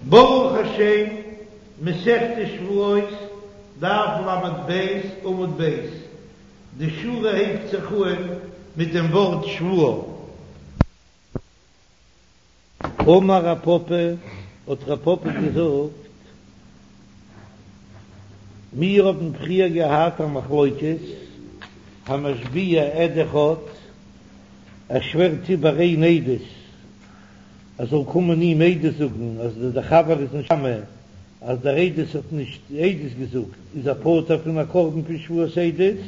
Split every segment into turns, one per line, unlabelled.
ברוך השם, מסכת שבועות, דף ל"ב, עמוד ב', די שורה הייבט זיך אהן מיט דעם ווארט שבועה. אמר רב פפא, האט רב פפא געזאגט, מיר האבן פריער געהאט א מחלוקת, המשביע עד אחד, ער שווערט איבער איין עדות, ער זאל קומען אים עדות זאגן אז דער חבר איז נישט טמא, אז דער עדות האט נישט עדות געזאגט, איז ער פטור פון א קרבן פון שבועת עדות,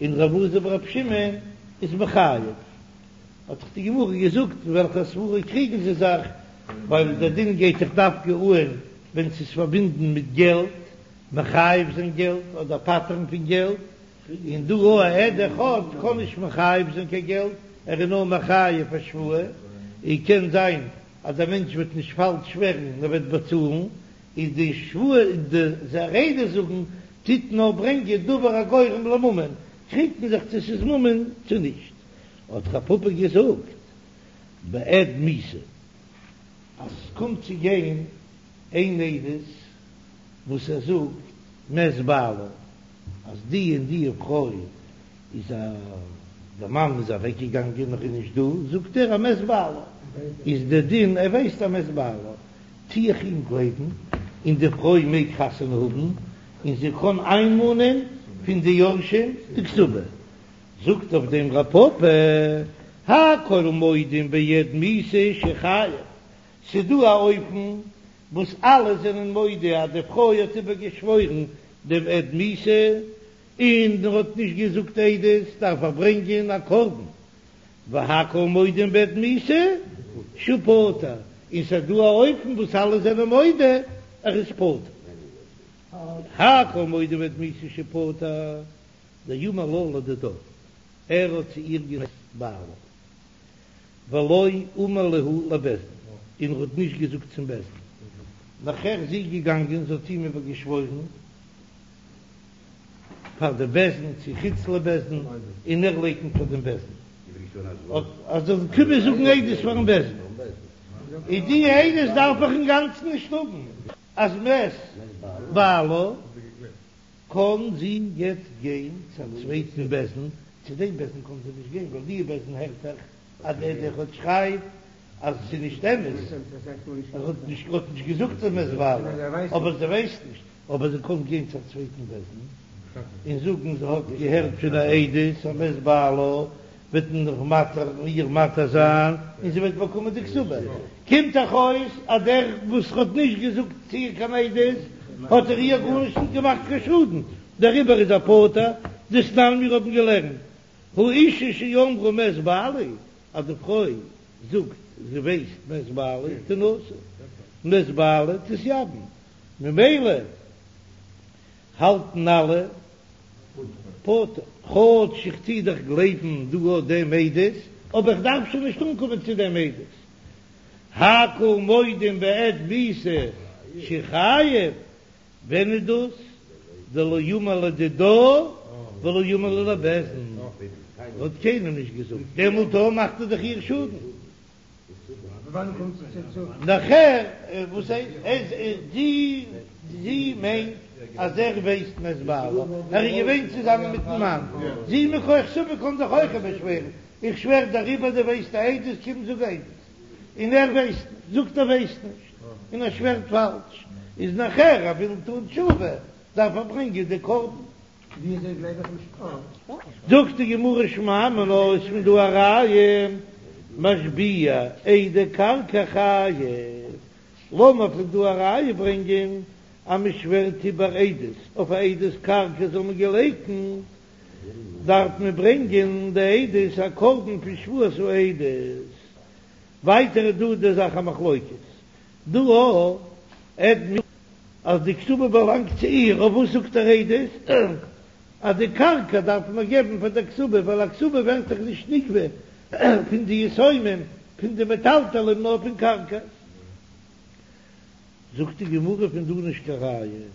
און ר' אלעזר בר' שמעון איז מחייב. האט דאך די גמרא געזאגט אין וועלכע סברא קריגן זיי זיך, ווייל דער דין גייט דאך דווקא אהן ווען ס'איז פארבינדן מיט געלט, מחייב זיין געלט אדער פטר'ן פון געלט, און דא א עד אחד קען נישט מחייב זיין קיין געלט, ער איז נאר מחייב א שבועה, און קען זיין אז דער מענטש וועט נישט פאלש שווערן נאר וועט באצאלן, איז די שבועה די עדות זאגן טוט נאר ברענגען דבר הגורם לממון, קריגט מען זיך צו ס'איז ממון צו נישט. האט רב פפא געזאגט בעד מיתה אז ס'קומט צו גיין איין עדות וואס ער זאגט מת בעלה אז די און די פרוי איז א די מאן איז אוועק געגאנגען נאך איז נישט דא זאגט ער אז מת בעלה איז די דין ער ווייסט אז מת בעלה טו איך אים גלייבן און די פרוי מעג חתונה האבן און זי קען איינמאנען פון די יורשים די כתובה זאגט אויף דעם רב פפא, הכל מודים בעד מיתה שחייב, ס'דא א אופן וואס אלע זענען מודה אז די פרוי האט איבער געשוואוירן דעם עד מיתה און ער האט נישט געזאגט עדות דארף ער ברענגען א קרבן, והכל מודים בעד מיתה שהוא פטור, און ס'איז דא א אופן וואס אלע זענען מודה ער איז פטור, הכל מודים בעד מיתה שהוא פטור. דאמר לה לדידה, ער האט צו איר געזאגט בעלה, ולא אמר להו לבית דין, און ער האט נישט געזאגט צום בית דין. נאכער איז זי געגאנגען, זי האט אים איבער געשוואוירן פאר די בית דין צו חוץ לבית דין, און ער לייקנט פאר דעם בית דין, אז זאל קומען זאגן עדות פארן בית דין, און די עדות דארף איך אינגאנצן נישט האבן, אז מת בעלה. קען זי יעצט גיין צו א צווייטן בית דין, צו דעם בית דין קען זי נישט גיין ווייל די בית דין הערט דאך אז דער עד אחד שרייט אז עס איז נישט אמת, ער האט נישט האט נישט געזאגט אז מת בעלה, אבער זי ווייסט נישט, אבער זי קען גיין צו א צווייטן בית דין און זאגן זי האט געהערט פון א עדות אז מת בעלה, וועט מען נאך מתיר איר מתיר זיין און זי וועט באקומען די כתובה, קומט דאך אויס אז דער וואס האט נישט געזאגט צו איר קיין עדות האט ער איר גארנישט נישט געמאכט קיין שאדן, דעריבער איז ער פטור, דתנן מיר האבן געלערנט האשה שאמרה מת בעלי, אז די פרוי זאגט זי ווייסט מת בעלי תנשא, מת בעלה תתייבם, ממילא האלטן אלע פטור, כאטש איך טוה דאך גלייבן דא אט דעם עדות, אבער איך דארף שוין נישט אנקומען צו דעם עדות. הכל מודים בעד מיתה שחייב, ווען איז דאס? דלא אמר לדידה ולא אמר להו לבית דין, האט קיינעם נישט געזאגט, דעמאלט מאכט ער דאך איר שאדן. נאכער וואס זי זי מיינט אז ער ווייסט מת בעלה, ער איז געווען צוזאמען מיטן מאן, זי מכח ספק קען זיך אויך איבערשווערן, איך שווער דעריבער דו ווייסט א עדות קום זאג עדות, און ער ווייסט נישט, זאגט ער ווייסט נישט, און ער שווערט פאלש, איז נאכער ער וויל טון תשובה דארף ער ברענגען די קרבן.
וויאזוי גלייב איך נישט אה.
זאגט די גמרא שמע מינה איז פון דא א ראיה משביע עדי קרקע חייב, לאמיר פון דא א ראיה ברענגען אז מען שווערט איבער עדות אויף א עדות קרקע זאל מען געלייקנט דארף מען ברענגען די עדות א קרבן פון שבועת העדות, ווייטער איז דא די זאך א מחלוקת דא א עד אז די כתובה באלאנגט צו איר, אויף וואס זאגט ער עדות? אז די קרקע דארף מען געבן פאר דער כתובה, ווייל א כתובה ווערט דאך נישט נגבה פון די יתומים, פון די מטלטלים, נאר פון קרקע. זאגט די גמרא פון דא נישט קיין ראיה,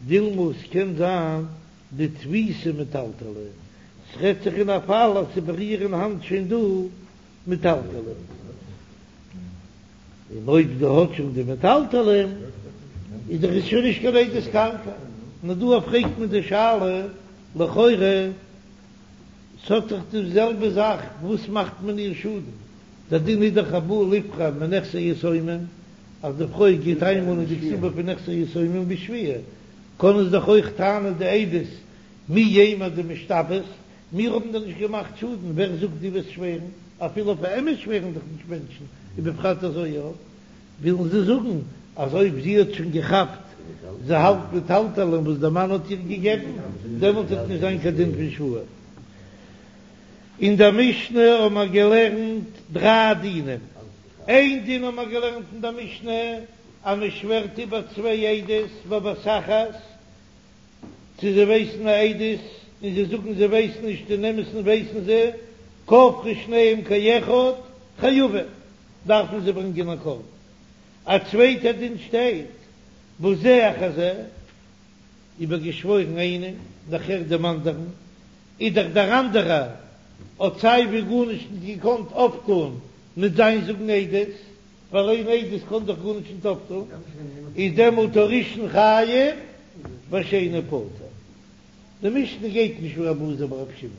דילמא עס קען זיין דתפיסי מטלטלי, ס'רעדט זיך אין א פאל אז ס'איז ביי איר אין האנט שוין דא מטלטלים. און אויב זי האט שוין די מטלטלים. איז דאך עס שוין נישט קיין עדות קרקע. נאר דא פרעגט מען די שאלה, לכאורה ס'האט דאך די זעלבע זאך, וואס מאכט מען איר שאדן? דער דין איז דאך הבא ליפרע מנכסי יתומים, אז די פרוי גייט איינמאנען די כתובה פון נכסי יתומים בשבועה, קענען זיי דאך אויך טענה'ן די עדות מי יימר דמשתבעת, מיר האבן דיר נישט געמאכט שאדן, ווער זאגט דו וועסט שווערן? אפילו אויף א אמת שווערן דאך נישט מענטשן, ובפרט אזוי יא. ווילן זיי זאגן אז אויב זי האט שוין געכאפט זי האלט מטלטלין וואס דער מאן האט איר געגעבן, דעמאלט וועט נישט זיין קיין דין פון שבועה. אין דער משנה האבן מיר געלערנט דריי דינים, איין דין האבן מיר געלערנט אין דער משנה אז מען שווערט איבער צוויי עדות בבת אחת, צו זיי ווייסן א עדות און זיי זאגן זיי ווייסן נישט אין אמת'ן ווייסן זיי, כפרו שניהם כאחד חייבים, דארפן זיי ברענגען א קרבן. א צווייטע דין שטייט בזה אחר זה, איבערגעשוואוירן איינעם נאכער דעם אנדערן, איז דאך דער אנדערער האט סיי ווי גארנישט נישט געקאנט אויפטון מיט זיין זאגן עדות, ווייל איין עדות קען דאך גארנישט נישט אויפטון, איז דעמאלט הראשון חייב והשני פטור. די משנה גייט נישט ווי רבי אלעזר ברבי שמעון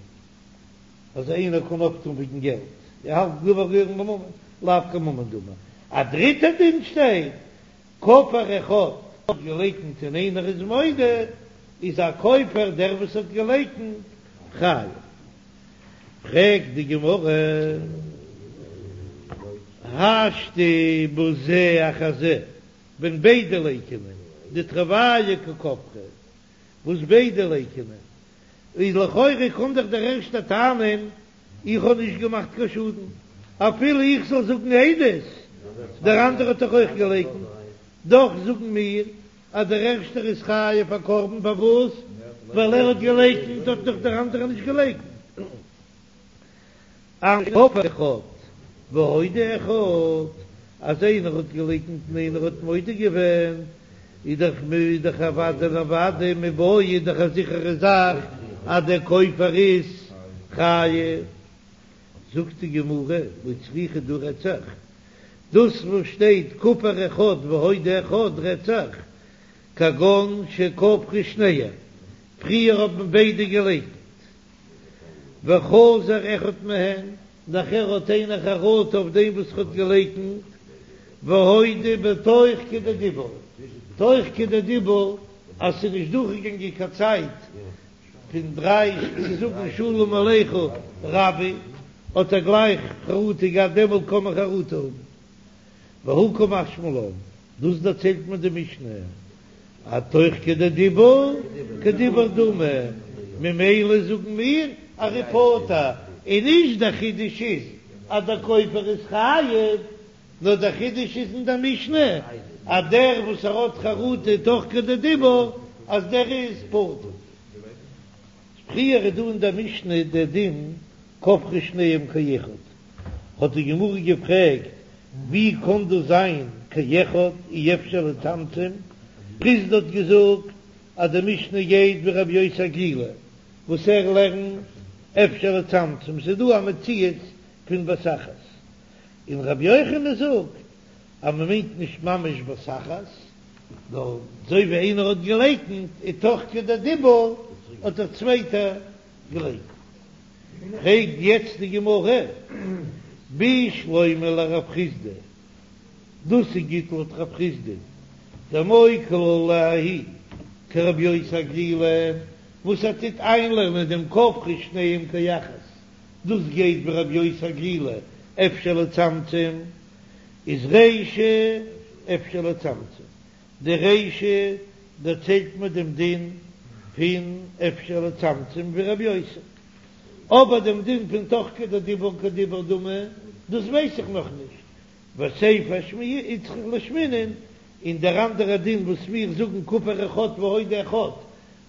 אז איינער קען אויפטון וועגן געלט, ער האלט גובר גורם בממון, לאו כממון דמי. א דריטע דין שטייט, כפר אחד האט געלייקנט און איינער איז מודה, איז הכופר דער וואס האט געלייקנט חייב. פרעגט די גמרא, השתא בזה אחר זה, ווען ביידע לייקענען, דתרוייהו קא כפרי, וואס ביידע לייקענען, איז לכאורה קען דאך דער ערשטער טענה'ן, איך האב נישט געמאכט קיין שאדן, אפילו איך זאל זאגן עדות, דער אנדערער האט דאך אויך געלייקנט, דאך זאגן מיר אז דער ערשטער איז חייב א קרבן, פארוואס? ווייל ער האט געלייקנט האט דאך דער אנדערער נישט געלייקנט. אבל כפר אחד והודה אחד, אז איינער האט געלייקנט און איינער האט מודה געווען, איז דאך איז דאך אוודאי און אוודאי מיבעיא איז דאך א זיכערע זאך אז דער כופר איז חייב. זאגט די גמרא, לא צריכא דא רעדט זיך דאס וואס שטייט כפר אחד והודה אחד רעדט זיך כגון שכפרו שניהם, פריער האבן ביידע געלייקנט, וחזר אחד מהן, נאכער האט איינער חרטה אויף דעם וואס האט געלייקנט, והודה בתוך כדי דיבור, תוך כדי דיבור אז ס'איז נישט דורכגעגאנגען קיין צייט פון דריי צו זאגן שלום עליך רבי, האט ער גלייך חרטה געהאט, דעמאלט קען מען חרטה האבן. והא קא משמע לן, דאס דערציילט מיר די משנה, אז תוך כדי דיבור כדיבור דמי, ממילא זאגן מיר אז ער איז פטור, און נישט דער חידוש איז אז דער כופר איז חייב, נאר דער חידוש איז אין דער משנה אז דער וואס ער האט חרטה תוך כדי דיבור אז דער איז פטור. פריער איז דא אין דער משנה דער דין כפרו שניהם כאחד, האט די גמרא געפרעגט ווי קען דאס זיין כאחד אי אפשר לצמצם, חסדא האט געזאגט אז די משנה גייט ווי רבי יוסי הגלילי וואס ער לערנט אפשר לצמצם, ס'איז דא א מציאות פון בת אחת, און רבי יוחנן זאגט אז מען מיינט נישט ממש בת אחת, נאר אזוי ווי איינער האט געלייקנט און תוך כדי דיבור האט דער צווייטער געלייקנט. פרעגט יעצט די גמרא, בשלמא לרב חסדא, דאס איז גוט לויט רב חסדא, דמוקי לה לההיא כרבי יוסי הגלילי, וואס ער טוט איינלערנען דעם כפרו שניהם כאחד, דאס גייט ווי רבי יוסי הגלילי אפשר לצמצם, איז רישא אפשר לצמצם, די רישא דערציילט מיר דעם דין פון אפשר לצמצם ווי רבי יוסי, אבער דעם דין פון תוך כדי דיבור כדיבור דמי דאס ווייס איך נאך נישט, וסיפא איצטריך לאשמועינן, און דער אנדערע דין וואס מיר זאגן כפר אחד והודה אחד,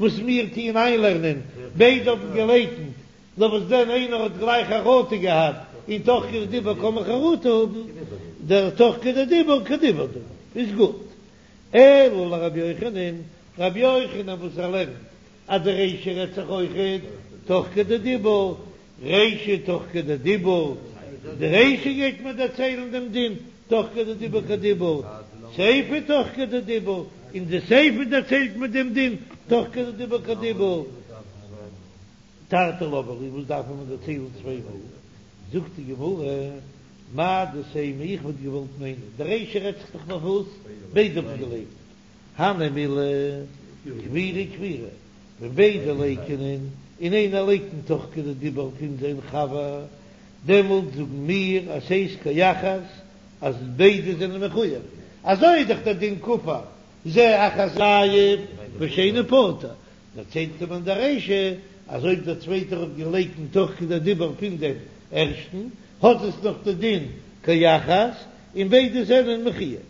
וואס מיר טוען איינלערנען, ביידע האבן געלייקנט, נאר וואס דען איינער האט גלייך חרטה געהאט און תוך כדי דיבור קען מען חרטה האבן, דער תוך כדי דיבור כדיבור דמי איז גוט. אלא לרבי יוחנן, רבי יוחנן וואס ער לערנט אז די רישא רעדט זיך אויכעט תוך כדי דיבור, רישא תוך כדי דיבור, די רישא גייט מיר דערציילן דעם דין תוך כדי דיבור כדיבור, סיפא תוך כדי דיבור. אין די סיפא דערציילט מען דעם דין תוך כדי דיבור כדיבור. תרתי למה לי, וואס דארף מען דערציילן צוויי מאל? זאגט די גמרא, מהו דתימא, איך וואלט געוואלט מיינען, די רישא רעדט זיך דאך נאך וואס ביידע האבן געלייקנט, הני מילי כפירה כפירה, ווען ביידע לייקענען און איינער לייקנט תוך כדי דיבור פון זיין חבר, דעמאלט זאגן מיר אז ס'איז כאחת אז ביידע זענען מחויב, אזוי איז דאך דער דין כפר זה אחר זה חייב ושני פטור, דערציילט מען די רישא אז אויב דער צווייטער האט געלייקנט תוך כדי דיבור פון דעם ערשטן, האט עס נאך די דין כאחת און ביידע זענען מחויב.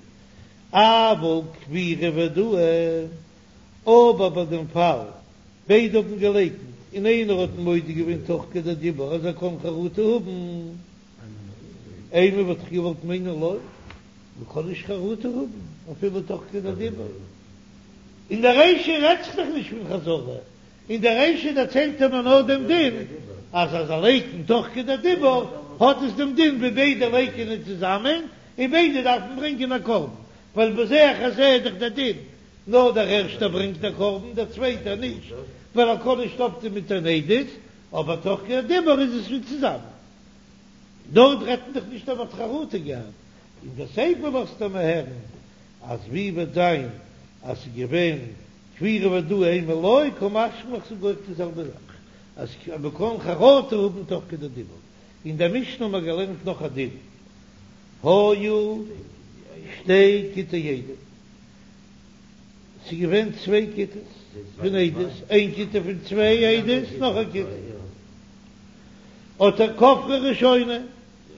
אבל כפירה והודאה, אבער ביי דעם פאל ביידע האבן געלייקנט און איינער האט מודה געווען תוך כדי דיבור אז ער קען חרטה האבן, אימא וואלט איך געוואלט מיינען לא, מ'קען נישט חרטה האבן אפילו תוך כדי דיבור. אין די רישא רעדט זיך דאך נישט פון חזרה, אין די רישא דערציילט ער מיר נאר דעם דין אז אז ער לייקנט תוך כדי דיבור האט עס דעם דין ווי ביידע לייקענען צוזאמען און ביידע דארפן ברענגען א קרבן, ווייל בזה אחר זה איז דאך דער דין נאר דער ערשטער ברענגט א קרבן דער צווייטער נישט ווייל ער קען נישט אויפטון מיט אן עדות, אבער תוך כדי דיבור איז עס ווי צוזאמען. דארט רעדט מען דאך נישט אז מען האט חרטה געהאט, אין די סיפא לאזט ער מיר הערן אז ווי וועט זיין אז ס'איז געווען כפירה והודאה אימא לא קא משמע לן כ'זאג אויך די זעלבע זאך אז מ'קען חרטה האבן תוך כדי דיבור. אין דער משנה האבן מיר געלערנט נאך א דין, היו שתי כיתי עדים, ס'איז געווען צוויי כיתות פון עדות, איין כיתה פון צוויי עדות, נאך א כיתה האט ער כפרה ראשונה,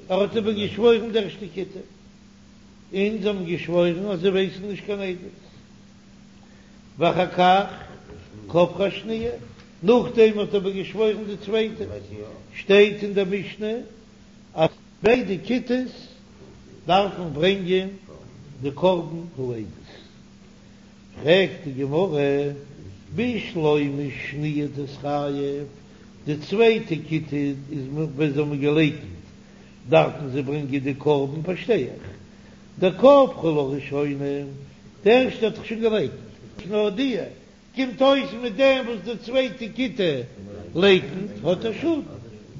ער האט איבער געשוואוירן די ערשטע כיתה. און זיי האבן געשוואוירן אז זיי ווייסן נישט קיין עדות. ואחר כך כפרה שניה, נאכדעם האט ער אבער געשוואוירן די צווייטע. שטייט אין דער משנה אז ביידע כיתות דארפן ברענגען די קרבן העדות. פרעגט די גמרא, בשלמא שניה תתחייב, די צווייטע כיתה איז ווען זיי האבן געלייקנט דארפן זיי ברענגען די קרבן פארשטיי איך, דכפרה לה ראשונה, די ערשטע האט דאך שוין געלייקנט, נאר די, קומט אויס מיט דעם וואס די צווייטע כיתה לייקנט האט ער שאדן,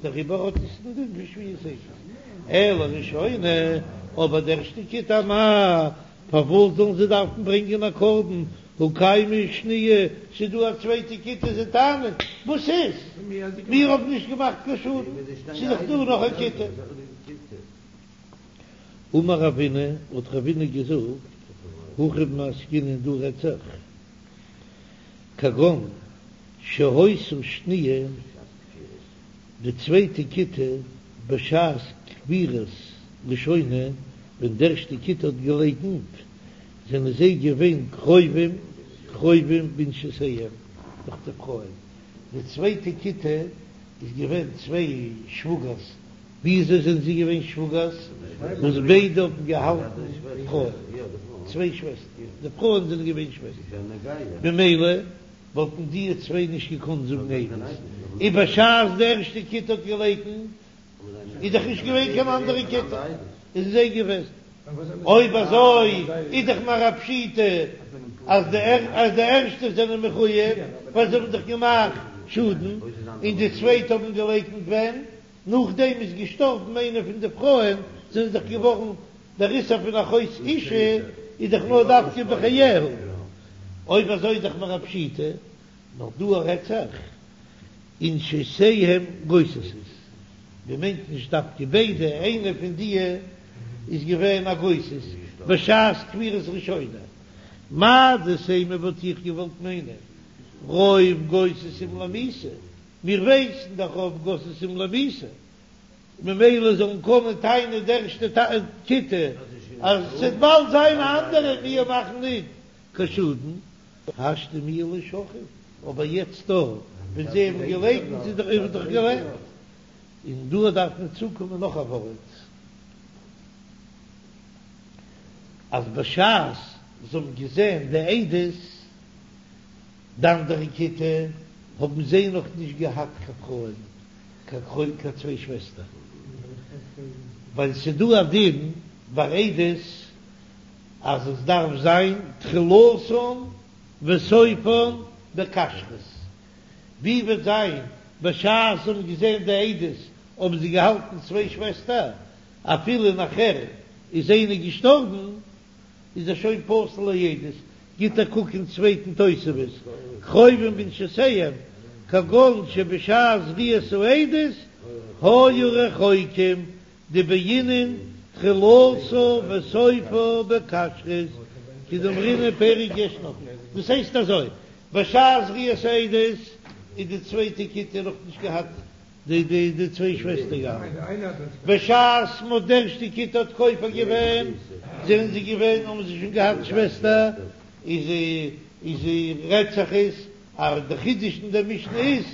דעריבער האט עס דעם דין פון שבועת עדות, אלא ראשונה, אבער די ערשטע כיתה אמאי, פארוואס זאלן זיי דארפן ברענגען א קרבן, הא קיימא שניה, ס'איז דא א צווייטע כיתה זיי טענה'ן, וואס איז? מיר האבן נישט געמאכט קיין שאדן, ס'איז דאך דא נאך א כיתה. אמר רבינא, האט רבינא געזאגט, הכא במאי עסקינן דא רעדט זיך, כגון שהיתה שניה, די צווייטע כיתה בשעת כפירת ראשונה, ווען די ערשטע כיתה האט געלייקנט, זענען זיי געווען קרובים קרובים בנשותיהם דורך די פרויען, די צווייטע כיתה איז געווען צוויי שוואגערס, וויאזוי זענען זיי געווען שוואגערס? וואס ביידע האבן געהאלטן פרויען, צוויי שוועסטער, די פרויען זענען געווען שוועסטער, ממילא וואלטן די צוויי נישט געקאנט זאגן עדות, און בשעת די ערשטע כיתה האט געלייקנט איז דאך נישט געווען קיין אנדערע כיתה, איז זיי געוועזן. אויב אזוי איז דאך מיר א פשיטא אז די אז די ערשטע זענען מחויב ווייל זיי האבן דאך געמאכט שאדן, און די צווייטע האבן געלייקנט ווען נאכדעם איז געשטארבן איינע פון די פרויען זענען דאך געווארן דער איסור פון אחות אשה איז דאך נאר דווקא בחייה, אויב אזוי איז דאך מיר א פשיטא, נאר דא רעדט זיך ונשותיהם גוססות, מען מיינט נישט דווקא ביידע, איינע פון דיע איז געווען א גוסס בשעת כפירת ראשונה, מהו דתימא וואלט איך געוואלט מיינען רוב גוססים למיתה, מיר ווייסן דאך רוב גוססים למיתה, ממילא זאלן קענען טענה'ן די ערשטע כיתה אז ס'וועט באלד זיין א אנדערע מיר מאכן ניט קיין שאדן. השתא מיהא לא שכיב, אבער יעצט דא ווען זיי האבן געלייקנט איז דאך איז דאך געלעבט, און דא דארף מען צוקומען נאך א ווארט, אז בשעת זיי האבן געזען די עדות, די אנדערע כיתה, האבן זיי נאך נישט געהאט קיין פרויען, קיין קרובים, קיין צוויי שוועסטער, ווייל ס'דא א דין ביי עדות. אז עס דארף זיין תחילתן וסופן בכשרות, ווי וועט זיין בשעת זיי האבן געזען די עדות האבן זיי געהאלטן צוויי שוועסטער, אפילו נאכער איז איינע געשטארבן איז ער שוין פסול לעדות, גיט א קוק אין צווייטן תוספות, קרובים בנשותיהם, כגון שבשעת ראיית העדות היו רחוקים, דבעינן תחילתה וסופה בכשרות, כדאמרינן פרק ישנה, דאס הייסט אזוי, בשעת ראיית העדות איז די צווייטע כיתה נאך נישט געהאט די די די צוויי שוועסטער געהאט, בשעת מ'האט די ערשטע כיתה האט כופר געווען זענען זיי געווען האבן זיי שוין געהאט שוועסטער, איז איז רעדט זיך עס אז די חידוש אין דער משנה איז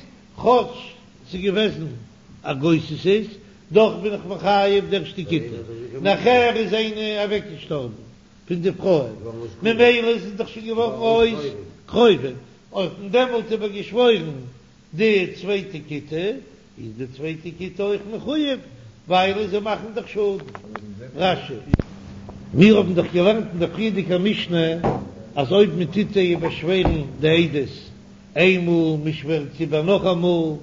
כאטש ס'איז געוועזן א גוססת דאך בין איך מחייב די ערשטע כיתה, נאכער איז איינע אוועק געשטארבן פון די פרויען ממילא איז עס דאך שוין געווארן אויס קרובים, האט מען דעמאלט איבער געשוואוירן די צווייטע כיתה, איז די צווייטע כיתה אויך מחויב ווייל זיי מאכן דאך שאדן. רש"י. מיר האבן דאך געלערנט אין דער פריערדיגער משנה אז אויב מען טוט זיי איבערשווערן די עדות איינמאל, מען שווערט איבער נאכאמאל,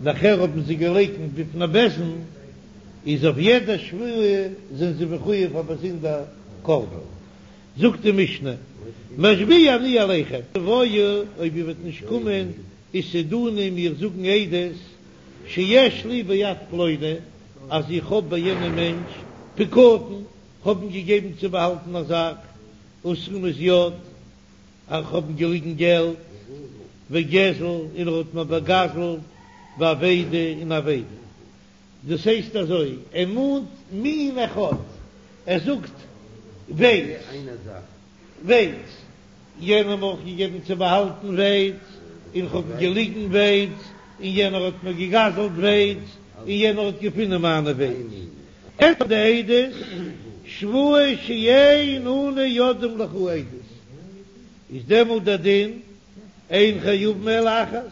נאכער האבן זיי געלייקנט בפני בית דין, איז אויף יעדע שבועה זענען זיי מחויב א באזונדער קרבן. זאגט די משנה, משביע אני עליכם, תבואו, אויב איר וועט נישט קומען, ותעידוני מיר זאגן עדות, שיש לי ביד פלוני, אז איך האב ביי יענעם מענטש פקדון, כ'האב אים געגעבן צו באהאלטן א זאך, ותשומת יד, איך האב אים געליגן געלט, וגזל, און ער האט מיר באגזלט, ואבידה און אבידה. דאס הייסט אזוי, ער מאנט מין אחד, ער זאגט ווייץ, ווייץ, יענעם האב איך געגעבן צו באהאלטן ווייץ, און כ'האב אים געליגן ווייץ, און יענער האט מיר געגזלט ווייץ, און יענער האט געפונען מיינע ווייץ. ענטפערן די עדות, שבועה שאין אנו יודעים לך עדות, איז דעמאלט דער דין, אין חייבין אלא אחת,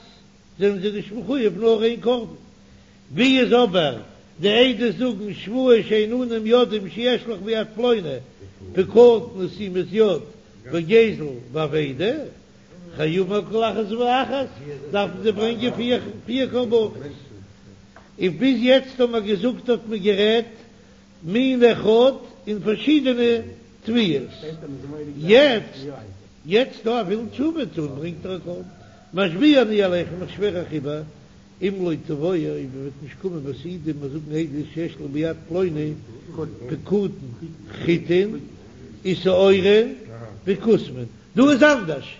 זענען זיי נישט מחויב נאר איין קרבן. ווי איז אבער די עדות זאגן שבועה שאין אנו יודעים שיש לך ביד פלוני פקדון ותשומת יד וגזל ואבידה, חייבין על כל אחת ואחת, דארפן זיי ברענגען פיר קרבנות. און ביז יעצט האט מען געזאגט האט מען גערעדט מין אחד אין פארשידענע תביעות, יעצט יעצט דא ער וויל תשובה טון ברענגט ער א קרבן, משביע אני עליכם איך שווער אייך איבער, אם לא תבואו אויב איר וועט נישט קומען ותעידו מיר זאגן עדות שיש לך ביד פלוני פקדון חיטין ושעורין וכוסמין, דא איז אנדערש,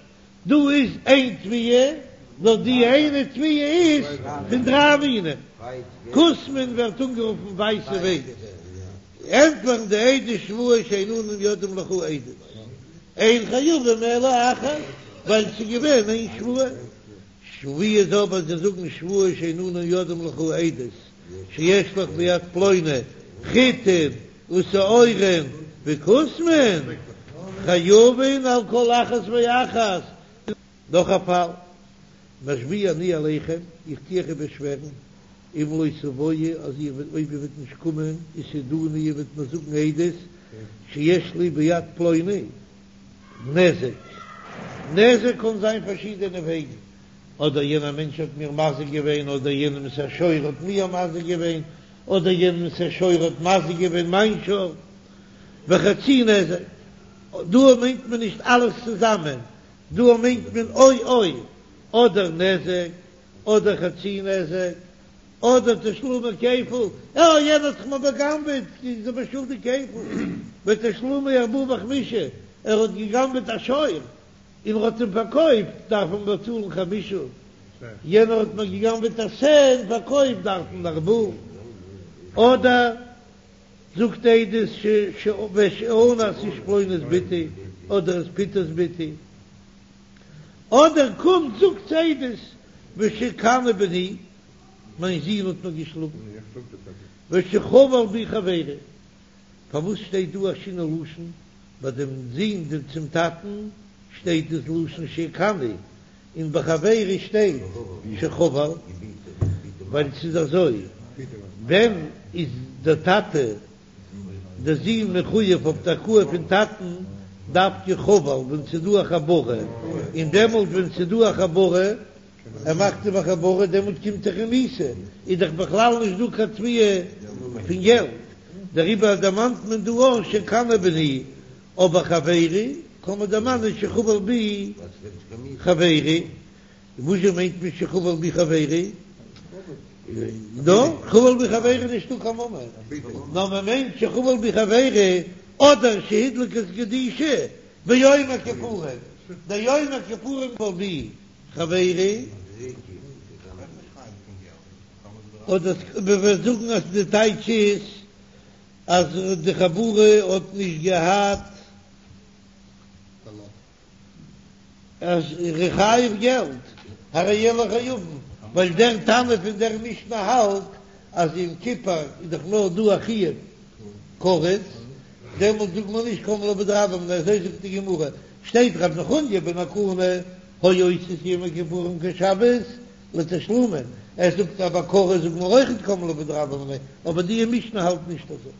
דא איז איין תביעה, נאר די איינע תביעה איז פון דריי מינים, כוסמין ווערט אנגערופן ווייסע ווייץ, ענטפערן די עדות שבועה שאין אנו יודעים לך עדות, אין חייבים אלא אחת, ווייל ס'איז געווען איין שבועה. ווי איז אבער זיי זאגן שבועה שאין אנו יודעים לך עדות שיש לך ביד פלוני חיטין ושעורין וכוסמין חייבין על כל אחת ואחת. נאך א פאל, משביע אני עליכם, איך טו אייך איבערשווערן, אם לא תבואו, אז איר וועט אויב איר וועט נישט קומען, ותעידוני איר וועט מיר זאגן עדות שיש לי ביד פלוני, נזק, נזק קען זיין פארשידענע וועגן, אדער יענער מענטש האט מיר מזיק געווען, אדער יענעמס א שור האט מיר מזיק געווען, אדער יענעמס א שור האט מזיק געווען מיין שור, וחצי נזק, דא מיינט מען נישט אלעס צוזאמען, דא מיינט מען או או, אדער נזק, אדער חצי נזק, אדער תשלומי כפל, אה יענער האט זיך מיר בא'גנב'עט, איז ער מיר שולדיג כפל, ותשלומי ארבעה וחמישה, ער האט גע'גנב'עט א שור און ער האט אים פארקויפט, דארף מען באצאלן חמישה, יענער האט מיר גע'גנב'עט א שה און פארקויפט, דארף מען ארבעה, אדער זאגט עדות ש ושאנס איש פלוני את בתי, אדער עס פיתה את בתי. אדער קומט זאגט עדות ושהכני בני, מיין זון האט מיר געשלאגן, ושחבל בי חברי, פארוואס שטייט דא א שינוי לשון ביי דעם זון דעם צום טאטן שטייט דאס לשון שהכני און ביי חברי שטייט שחבל, ווייל ס'איז אזוי, ווען איז דער טאטע דער זון מחויב אויף די הכאה פון טאטן? דווקא חבל ווען ס'איז דא א חבורה, און דעמאלט ווען ס'איז דא א חבורה, ער מאכט אים א חבורה, דעמאלט קומט דאך אים מיתה, איז דאך בכלל נישט דא קיין תביעה פון געלט, דעריבער דערמאנט מען דא אויך שקנא בני, אבער חברי קען מען דערמאנען שחבל בי חברי. וואזשע מיינט מען שחבל בי חברי? דא חבל בי חברי נישטא קיין ממון, נאר מען מיינט שחבל בי חברי אדער שהדליק את גדישי ביום הכיפורים, די יום הכיפורים חבל בי חברי, אדער מען וועט זאגן אז די טייטש איז אז די חבורה האט נישט געהאט. אז ער איז חייב געלט, הרי אלו חייבין, ווייל דער תנא פון דער משנה האלט אז יום כיפור איז דאך נאר דא א חיוב כרת, דעמאלט זאגט מען נישט קם ליה בדרבה מיניה, אזוי זאגט די גמרא, שטייט רב נחוניא בן הקנה היה עושה את יום הכיפורים כשבת לתשלומין, ער זאגט אז ביי כרת זאגט מען אויכעט קם ליה בדרבה מיניה, אבער די משנה האלט נישט אזוי.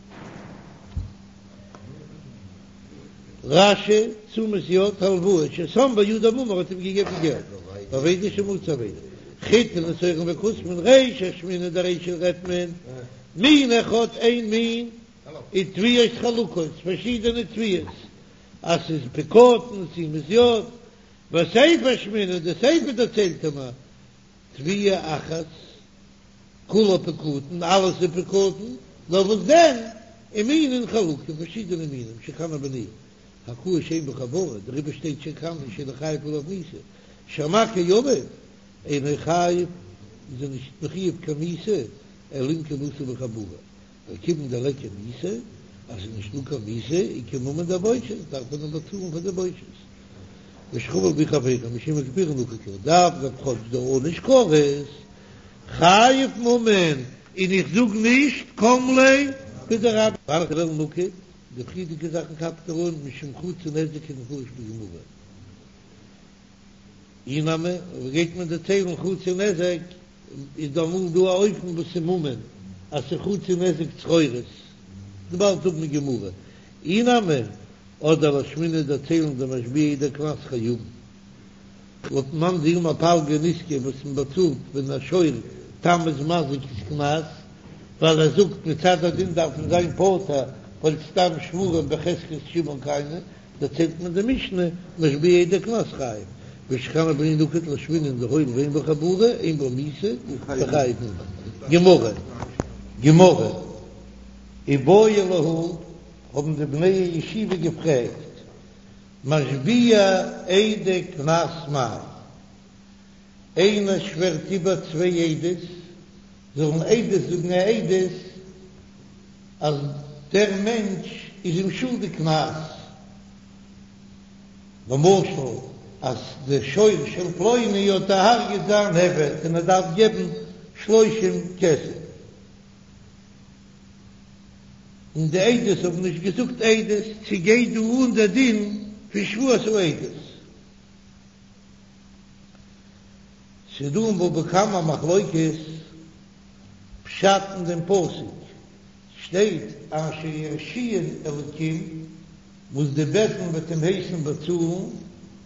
רש"י, תשומת יד, הלוואה, ששם בידו ממון האט אים געגעבן געלט, ואבידה שמצא אבידה, חיטין ושעורין וכוסמין, רישא אשמעינן די רישא רעדט מען, מין אחד איין מין, ותביעות חלוקות, פארשידענע תביעות, אז ס'איז פקדון, תשומת יד, וסיפא אשמעינן, די סיפא דערציילט מיר, תביעה אחת. כולה פקדון, אלעס איז פקדון, נאר וואס דען, ומינין חלוקים, פארשידענע מינים, שקנא בני, הכאה שאין בה חבורה, דעריבער שטייט שקנא שאינו חייב עליו מיתה, שהמכה אביו, אינו חייב, איז ער נישט מחויב קיין מיתה, אלא אם כן עשה בו חבורה, וכיוון דליכא מיתה, אז ס'איז נישט דא קיין מיתה, איכא ממון דבושת, דארף מען אים באצאלן פאר די בושת. ושחבל בי חברו משום יום הכיפורים נקט לה, דאף אגב כאטש דער עונש כרת חייב ממון, און איך זאג נישט קם ליה בדרבה. והני מילי נקט, די פריערדיגע זאכן כאפט ער אן משום חצי נזק כדמפרש בגמרא. אי נמי, אויב גייט מען דערציילן חצי נזק, איז דא אמאל דא א אופן וואס איז ממון אז ס'איז חצי נזק צרורות, באלד האבן גמרא. אי נמי, אדער לאשמועינן דערציילן דמשביע עדי קנס חייבין. לויט מאן דאמר פלגא נזקא וואס מען באצאלט ווען א שור תם איז מזיק איז קנס, ווייל ער זאגט מצד הדין דארף מען זיין פטור ווייל סתם שוורים בחזקת שמעון קיימי, דערציילט מען די משנה משביע עדי קנס חייב, ושקנא בני נקט לאשמועינן דהואיל ואין בו חבורה אין בו מיתה וחייב ממון. גמרא, גמרא, איבעיא להו האבן די בני הישיבה געפרעגט, משביע עדי קנס מאי? איינער שווערט איבער צוויי עדות זאלן עדות זאגן א עדות אז דער מענטש איז אים שולדיג קנס, למשל אז דער שור של פלוני האט דערהרגעט זיין עבד און ער דארף געבן שלושים כסף. און די עדות האבן נישט געזאגט עדות, צו גייט דא אן דער דין פון שבועת העדות? ס'איז דא אין בבא קמא מחלוקת פשט אין דעם פסוק, שטייט אשר ירשיען אלקים, וואס די בית דין וועט אים הייסן באצאלן,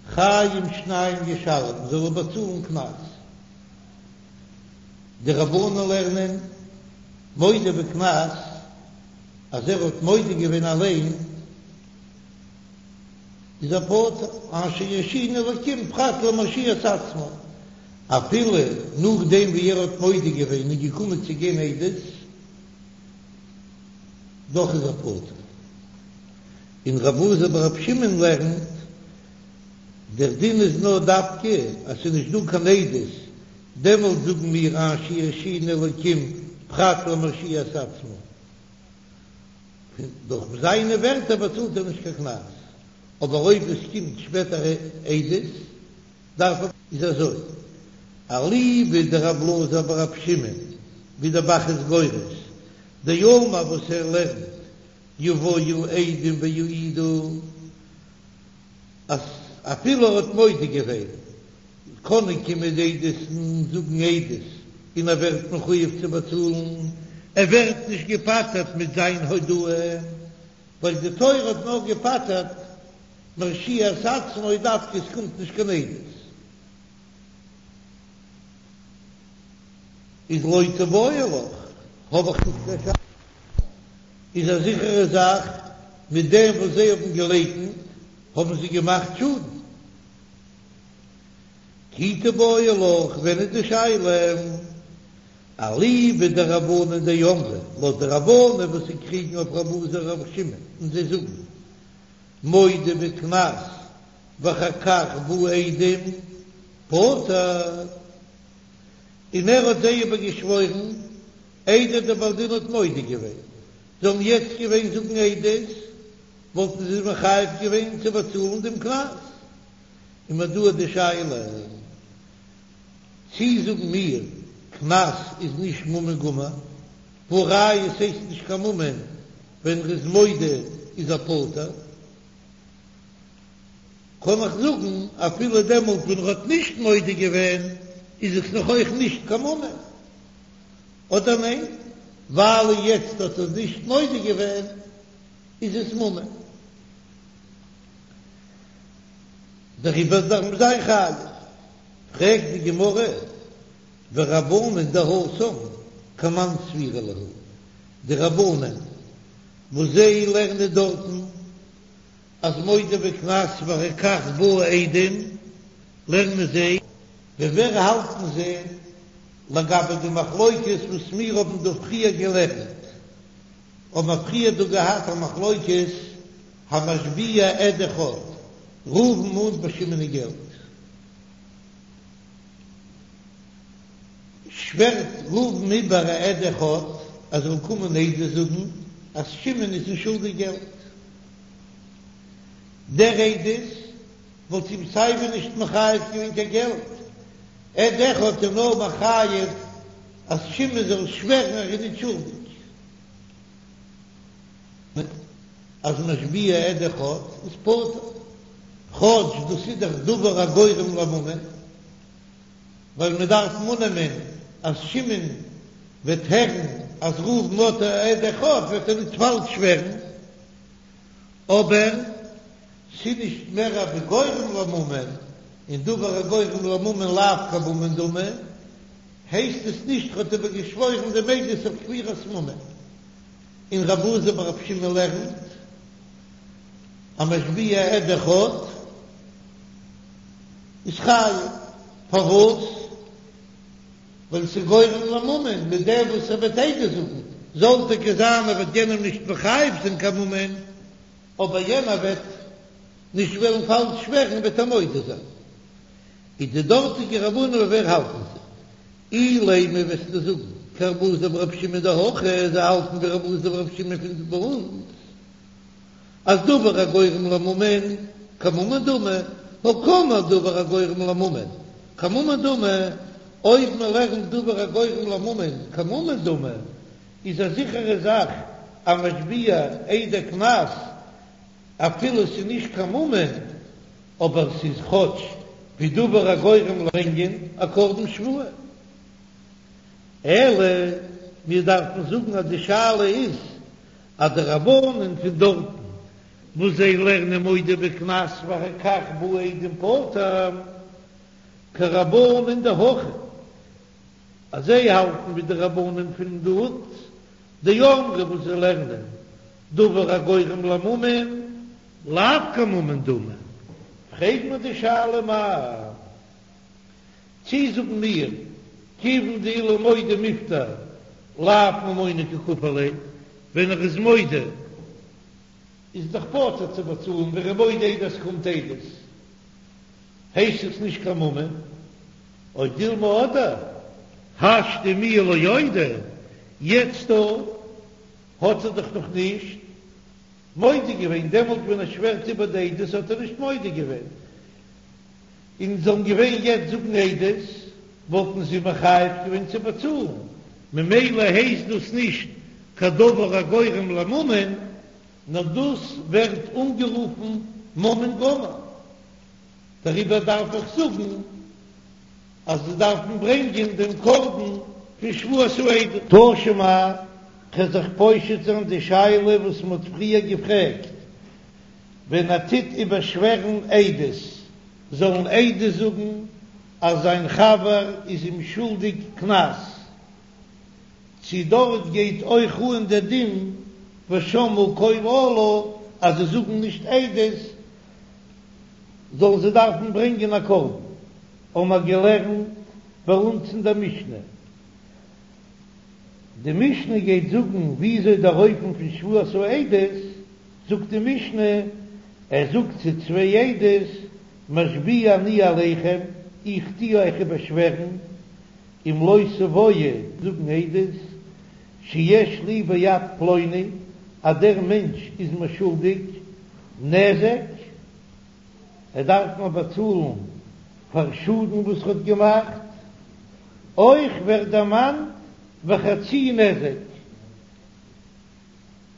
חיים שניים ישלם, זאל ער באצאלן קנס. די רבנן לערנען מודה בקנס אז ער האט מודה געווען אליין איז ער פטור, אשר ירשיען אלקים פרט למרשיע את עצמו, אפילו נאכדעם ווי ער האט מודה געווען און געקומען צו גיין עדות, דאך איז ער פטור. און רבי אלעזר ברבי שמעון לערנט, דער דין איז נאר דווקא אז ס'איז נישט דא קיין עדות, דעמאלט זאגן מיר אשר ירשיען אלקים פרט למרשיע את עצמו, דורך זיינע ווערטער באצאלט ער נישט קיין קנס, אבער אויב עס קומט שפעטער עדות דארף ער. איז אזוי, אליבא דרבי אלעזר ברבי שמעון, ווי דער ב"ח איז גורס, דאמר וואס ער לערנט יבואו עדים ויעידו, אז אפילו ער האט מודה געווען, קענען קומען די עדות און זאגן עדות, און ער ווערט מחויב צו באצאלן, ער ווערט נישט געפטר'ט מיט זיין הודאה, ווייל די תורה האט נאר געפטר'ט. מרשיע את עצמו דווקא עס קומט נישט קיין עדות. איז לא תיבעי לך, האב איך נישט קיין שאלה, איז א זיכערע זאך מיט דעם וואס זיי האבן געלייקנט האבן זיי געמאכט שאדן. כי תיבעי לך, ווען איז די שאלה? אליבא דרבנן דאמרי, לויט די רבנן וואס זיי קריגן אויף רבי אלעזר ברבי שמעון און זיי זאגן מודה בקנס ואחר כך באו עדים פטור, און ער האט זיי איבערגעשוואוירן איידער דער בעל דין האט מודה געווען, זאלן יעצט געווען זאגן עדות וואלטן זיי מחויב געווען צו באצאלן דעם קנס, און מ'האט דא די שאלה. צי זאגן מיר, קנס איז נישט ממון גמור, והא ראיה ס'הייסט נישט קיין ממון ווען ר'איז מודה איז ער פטור, קען איך זאגן אפילו דעמאלט ווען ר'האט נישט מודה געווען איז עס נאך אויך נישט קיין ממון, אדער ניין ווייל יעצט האט ער נישט מודה געווען איז עס ממון. דעריבער דארף מען זיין חייב. פרעגט די גמרא, ורבנן דהתם כמאן סבירא להו, די רבנן וואס זיי לערנען דארטן אז מודה בקנס ואחר כך באו עדים, לערנען זיי, ווי ווער האלטן זיי לגבי די מחלוקת וואס מיר האבן דא פריער געלערנט, האבן מיר פריער דא געהאט א מחלוקת המשביע עד אחד, ראובן מאנט ביי שמעון געלט. שווערט ראובן איבער א עד אחד אז זאל קומען עדות זאגן אז שמעון איז אים שולדיג געלט. דער עדות וואלט אים סייווי נישט מחייב געווען קיין געלט, עד אחד איז נאר מחייב אז שמעון זאל שווערן אז ער איז נישט שולדיג. אז משביע עד אחד איז פטור, כאטש דאס איז דאך דבר הגורם לממון, ווייל מען דארף אננעמען אז שמעון וועט הערן אז ראובן האט א עד אחד וועט ער נישט פאלש שווערן, אבער ס'איז נישט מער ווי גורם לממון, און דבר הגורם לממון לאו כממון דמי, הייסט עס נישט ר'האט איבערגעשוואוירן דעם עדות אויף כפירת ממון. און רבי אלעזר ברבי שמעון לערנט אז משביע עד אחד איז חייב, פארוואס? ווייל ס'איז גורם לממון, מיט דעם וואס ער וועט עדות זאגן, זאל טאקע זיין ער וועט יענעם נישט מחייב זיין קיין ממון, אבער יענער וועט נישט וועלן פאלש שווערן וועט ער מודה זיין. איז די דארטיגע רבנן ווי ווער האלטן זיי? אילימא וועסטו זאגן כרבי אלעזר ברבי שמעון דהכא, זיי האלטן ווי רבי אלעזר ברבי שמעון פון ביי אונז אז דבר הגורם לממון כממון דמי, הא קאמר דבר הגורם לממון כממון דמי, אויב מען לערנט דבר הגורם לממון כממון דמי איז א זיכערע זאך אז משביע עדי קנס אפילו ס'איז נישט קיין ממון. אבער ס'איז כאטש ווי דבר הגורם ברענגען א קרבן שבועה. אלא מיר דארפן זאגן אז די שאלה איז אז די רבנן פון דארטן וואס זיי לערנען מודה בקנס ואחר כך באו עדים פטור כרבנן דהכא אז זיי האלטן ווי די רבנן פון דארט דאמרי וואס זיי לערנען דבר הגורם לממון לאו כממון דמי, פרעג מיר די שאלה מאי, צי זאגן מיר כיוון דאילו מודה מיפטר לאו ממונא קא כפיר ליה, ווען ער איז מודה איז דאך פטור צו באצאלן, ווען ער איז מודה איידער ס'קומט עדות הייסט עס נישט קיין ממון, או דילמא אדער השתא מיהא לא אודי, יעצט דא האט ער דאך נאך נישט מודה געווען, דעמאלט ווען ער שווערט איבער די עדות האט ער נישט מודה געווען, און זאלן געווען יעצט זאגן עדות וואלטן זיי מחייב געווען צו באצאלן, ממילא הייסט דאס נישט קיין דבר הגורם לממון, נאר דאס ווערט אנגערופן ממון גמור, דעריבער דארף איך זאגן אז זיי דארפן ברענגען דעם קרבן פון שבועת העדות. תא שמע, כ'וועל זיך פושט זיין די שאלה וואס מ'האט פריער געפרעגט. ווען ער טוט איבערשווערן עדות, זאלן עדות זאגן אז זיין חבר איז אים שולדיג קנס, צי דארט גייט אויך אן דער דין ושמעו קול אלה אז זיי זאגן נישט עדות זאלן זיי דארפן ברענגען א קרבן, האבן מיר געלערנט ביי אונז אין דער משנה. די משנה גייט זאגן וויאזוי דער אופן פון שבועת העדות, זאגט די משנה, ער זאגט צו צוויי עדות, משביע אני עליכם, איך טו אייך איבערשווערן, אם לא תבואו זאגן עדות, שיש לי ביד פלוני, אז דער מענטש איז מיר שולדיג נזק, ער דארף מיר באצאלן פאר שאדן וואס ער האט געמאכט, אויך ווערט דערמאנט וחצי נזק,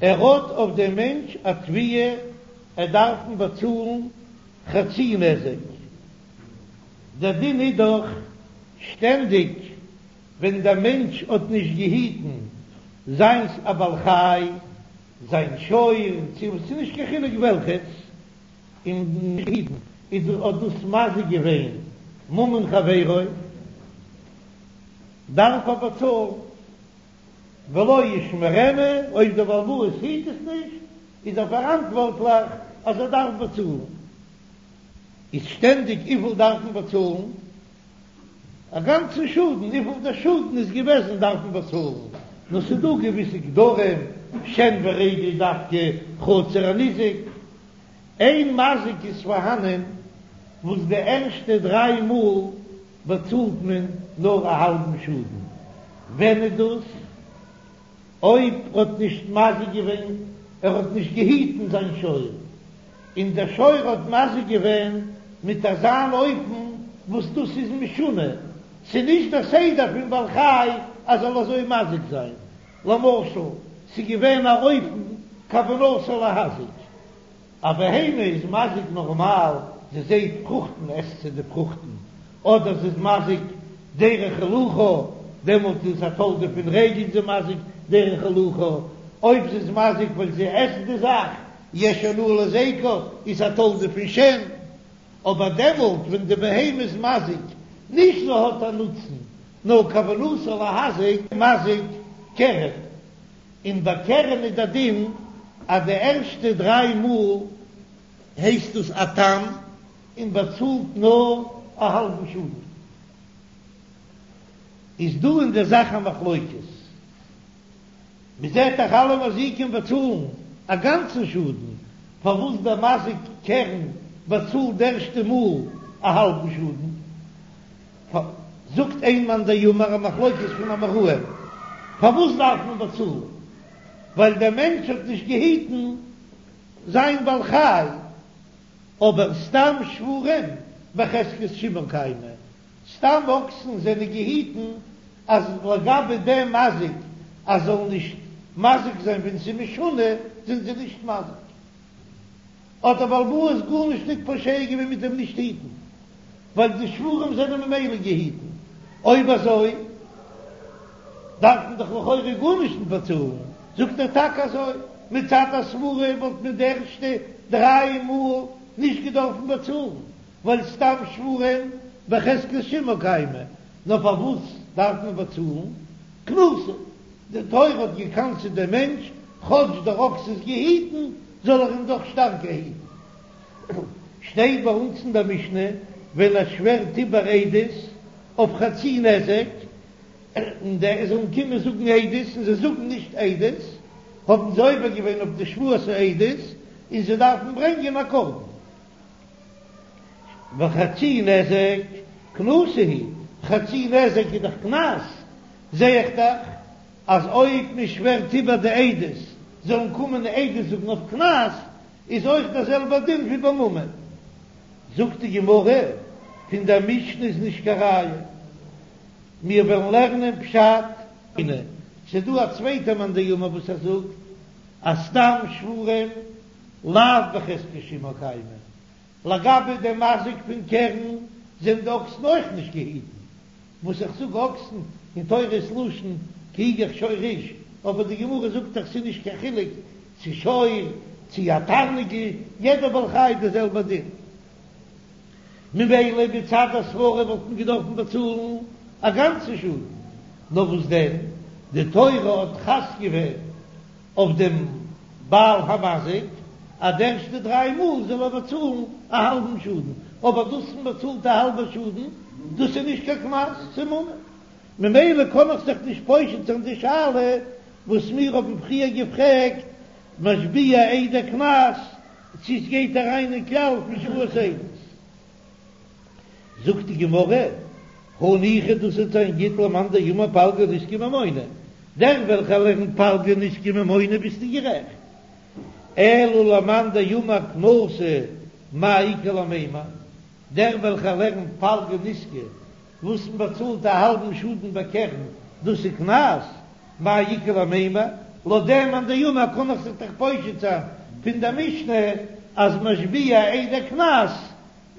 ער האט אויף דעם מענטש א תביעה ער דארף אים באצאלן חצי נזק, דער דין איז דאך שטענדיג ווען דער מענטש האט נישט געהיטן זיינס א בעל חי, זיין שור, צו ס'איז נישט קיין חילוק וועלכעס, און נישט געהיטן, איז האט דאס מזיק געווען ממון חברו, דארף ער באצאלן, ולא ישמרנו, אויב דער בעל הבית היט עס נישט, איז ער פאראנטווארטליך אז ער דארף באצאלן. איז שטענדיג וויפיל דארף מען באצאלן? א גאנצן שאדן, וויפיל דער שאדן איז געוועזן דארף מען באצאלן, נאר ס'איז דא געוויסע גדרים, שן ורגל איז דווקא חצי הניזק, איין מזיק איז פארהאנען וואס די ערשטע דריי מאל באצאלט מען נאר א האלבן שאדן, ווען איז דאס? אויב ער האט נישט מזיק געווען, ער האט נישט געהיטן זיין שור, און דער שור האט מזיק געווען מיט אזאן אופן וואס דאס איז משונה, ס'איז נישט דער סדר פון בעל חי אז זאל אזוי מזיק זיין, למשל ס'איז געווען א אופן כוונתו להזיק, א בהמה איז מזיק נארמאל, זי זעהט פרוכטן עסט זי די פרוכטן, אדער זי איז מזיק דרך הילוכה, דעמאלט איז א תולדה פון רגל זי מזיק דרך הילוכה, אויב זי איז מזיק ווייל זי עסט די זאך, יש הנאה להזיקה, איז א תולדה פון שן, אבער דעמאלט ווען די בהמה איז מזיק, נישט זי האט א נוצן, נאר כוונתו להזיק, מזיק קרן. און ביי קרן איז דער דין אז די ערשטע דריי מאל הייסט דאס א תם און באצאלט נאר א האלבן שאדן. איז דא אין דער זאך א מחלוקת. מען זעט דאך אלע מזיקים באצאלן א גאנצן שאדן, פארוואס דער מזיק קרן באצאלט די ערשטע מאל א האלבן שאדן? זאגט איין מאן דאמר א מחלוקת פון אמוראים, פארוואס דארף מען באצאלן? ווייל דער מענטש האט נישט געהיטן זיין בעל חי, אבער סתם שוורים בחזקת שימור קיימי, סתם אקסן זענען געהיטן אז לגבי דעם מזיק אז זאל נישט מזיק זיין ווען ס'איז משונה זענען זיי נישט מזיק. האט דער בעל הבית גארנישט ניט פושע געווען מיט דעם נישט היטן, ווייל די שוורים זענען ממילא געהיטן. אויב אזוי דארף מען דאך לכאורה גארנישט ניט באצאלן. זאגט ער טאקע אזוי, מצד הסברה וואלט מען די ערשטע דריי מאל נישט געדארפן באצאלן, ווייל סתם שוורים בחזקת שימור קיימי, נאר פארוואס דארף מען באצאלן? קנסא, די תורה האט געקנס'עט דעם מענטש, כאטש דער אקס איז געהיטן, זאל ער אים דאך שטארקער היטן. שטייט ביי אונז אין דער משנה, ווען ער שווערט איבער עדות אויף חצי נזק, און די זאלן קומען זאגן עדות, און זיי זאגן נישט עדות, האבן זיי עובר געווען אויף די שבועת העדות, און זיי דארפן ברענגען א קרבן. וחצי נזק קנסא הוא, חצי נזק איז דאך קנס, זע איך דאך אז אויב מען שווערט איבער די עדות זאלן קומען עדות זאגן אויף קנס, איז אויך דער זעלבער דין ווי ביי ממון. זאגט די גמרא, פון דער משנה איז נישט קיין ראיה, מיר וועלן לערנען פשט. ס'איז דא א צווייטע מאן דאמר וואס ער זאגט אז סתם שוורים לאו בחזקת שימור קיימי, לגבי דעם מזיק פון קרן זענען די אקסן אויך נישט געהיטן, וואס איך זאג אקסן אין תורה איז לשון כי יגח שור איש, אבער די גמרא זאגט דאך ס'איז נישט קיין חילוק צו שור. צו א תרנגול, יעדער בעל חי די זעלבע דין. ממילא מצד הסברה וואלט מען געדארפן באצאלן א גאנצן שאדן, נאר וואס דען, די תורה האט חס געווען אויף דעם בעל המזיק אז די ערשטע דריי מאל זאל ער באצאלן א האלבן שאדן, אבער דאס מען באצאלט א האלבע שאדן דאס איז נישט קיין קנס, ס'איז ממון. ממילא קען איך זיך נישט פושט זיין די שאלה וואס מיר האבן פריער געפרעגט, משביע עדי קנס, צו עס גייט אריין אין כלל פון שבועת עדות. זאגט די גמרא, הניחא דאס וועט זיין גוט למאן דאמר פלגא נזקא ממונא, דער וועלכער לערנט פלגא נזקא ממונא ביסטו גערעכט, אלא למאן דאמר קנסא מאי איכא למימר, דער וועלכער לערנט פלגא נזקא וואס מען באצאלט א האלבן שאדן בקרן, דאס איז קנס, מאי איכא למימר, לויט דעם מאן דאמר קען איך זיך דאך פושט זיין פון דער משנה אז משביע עדי קנס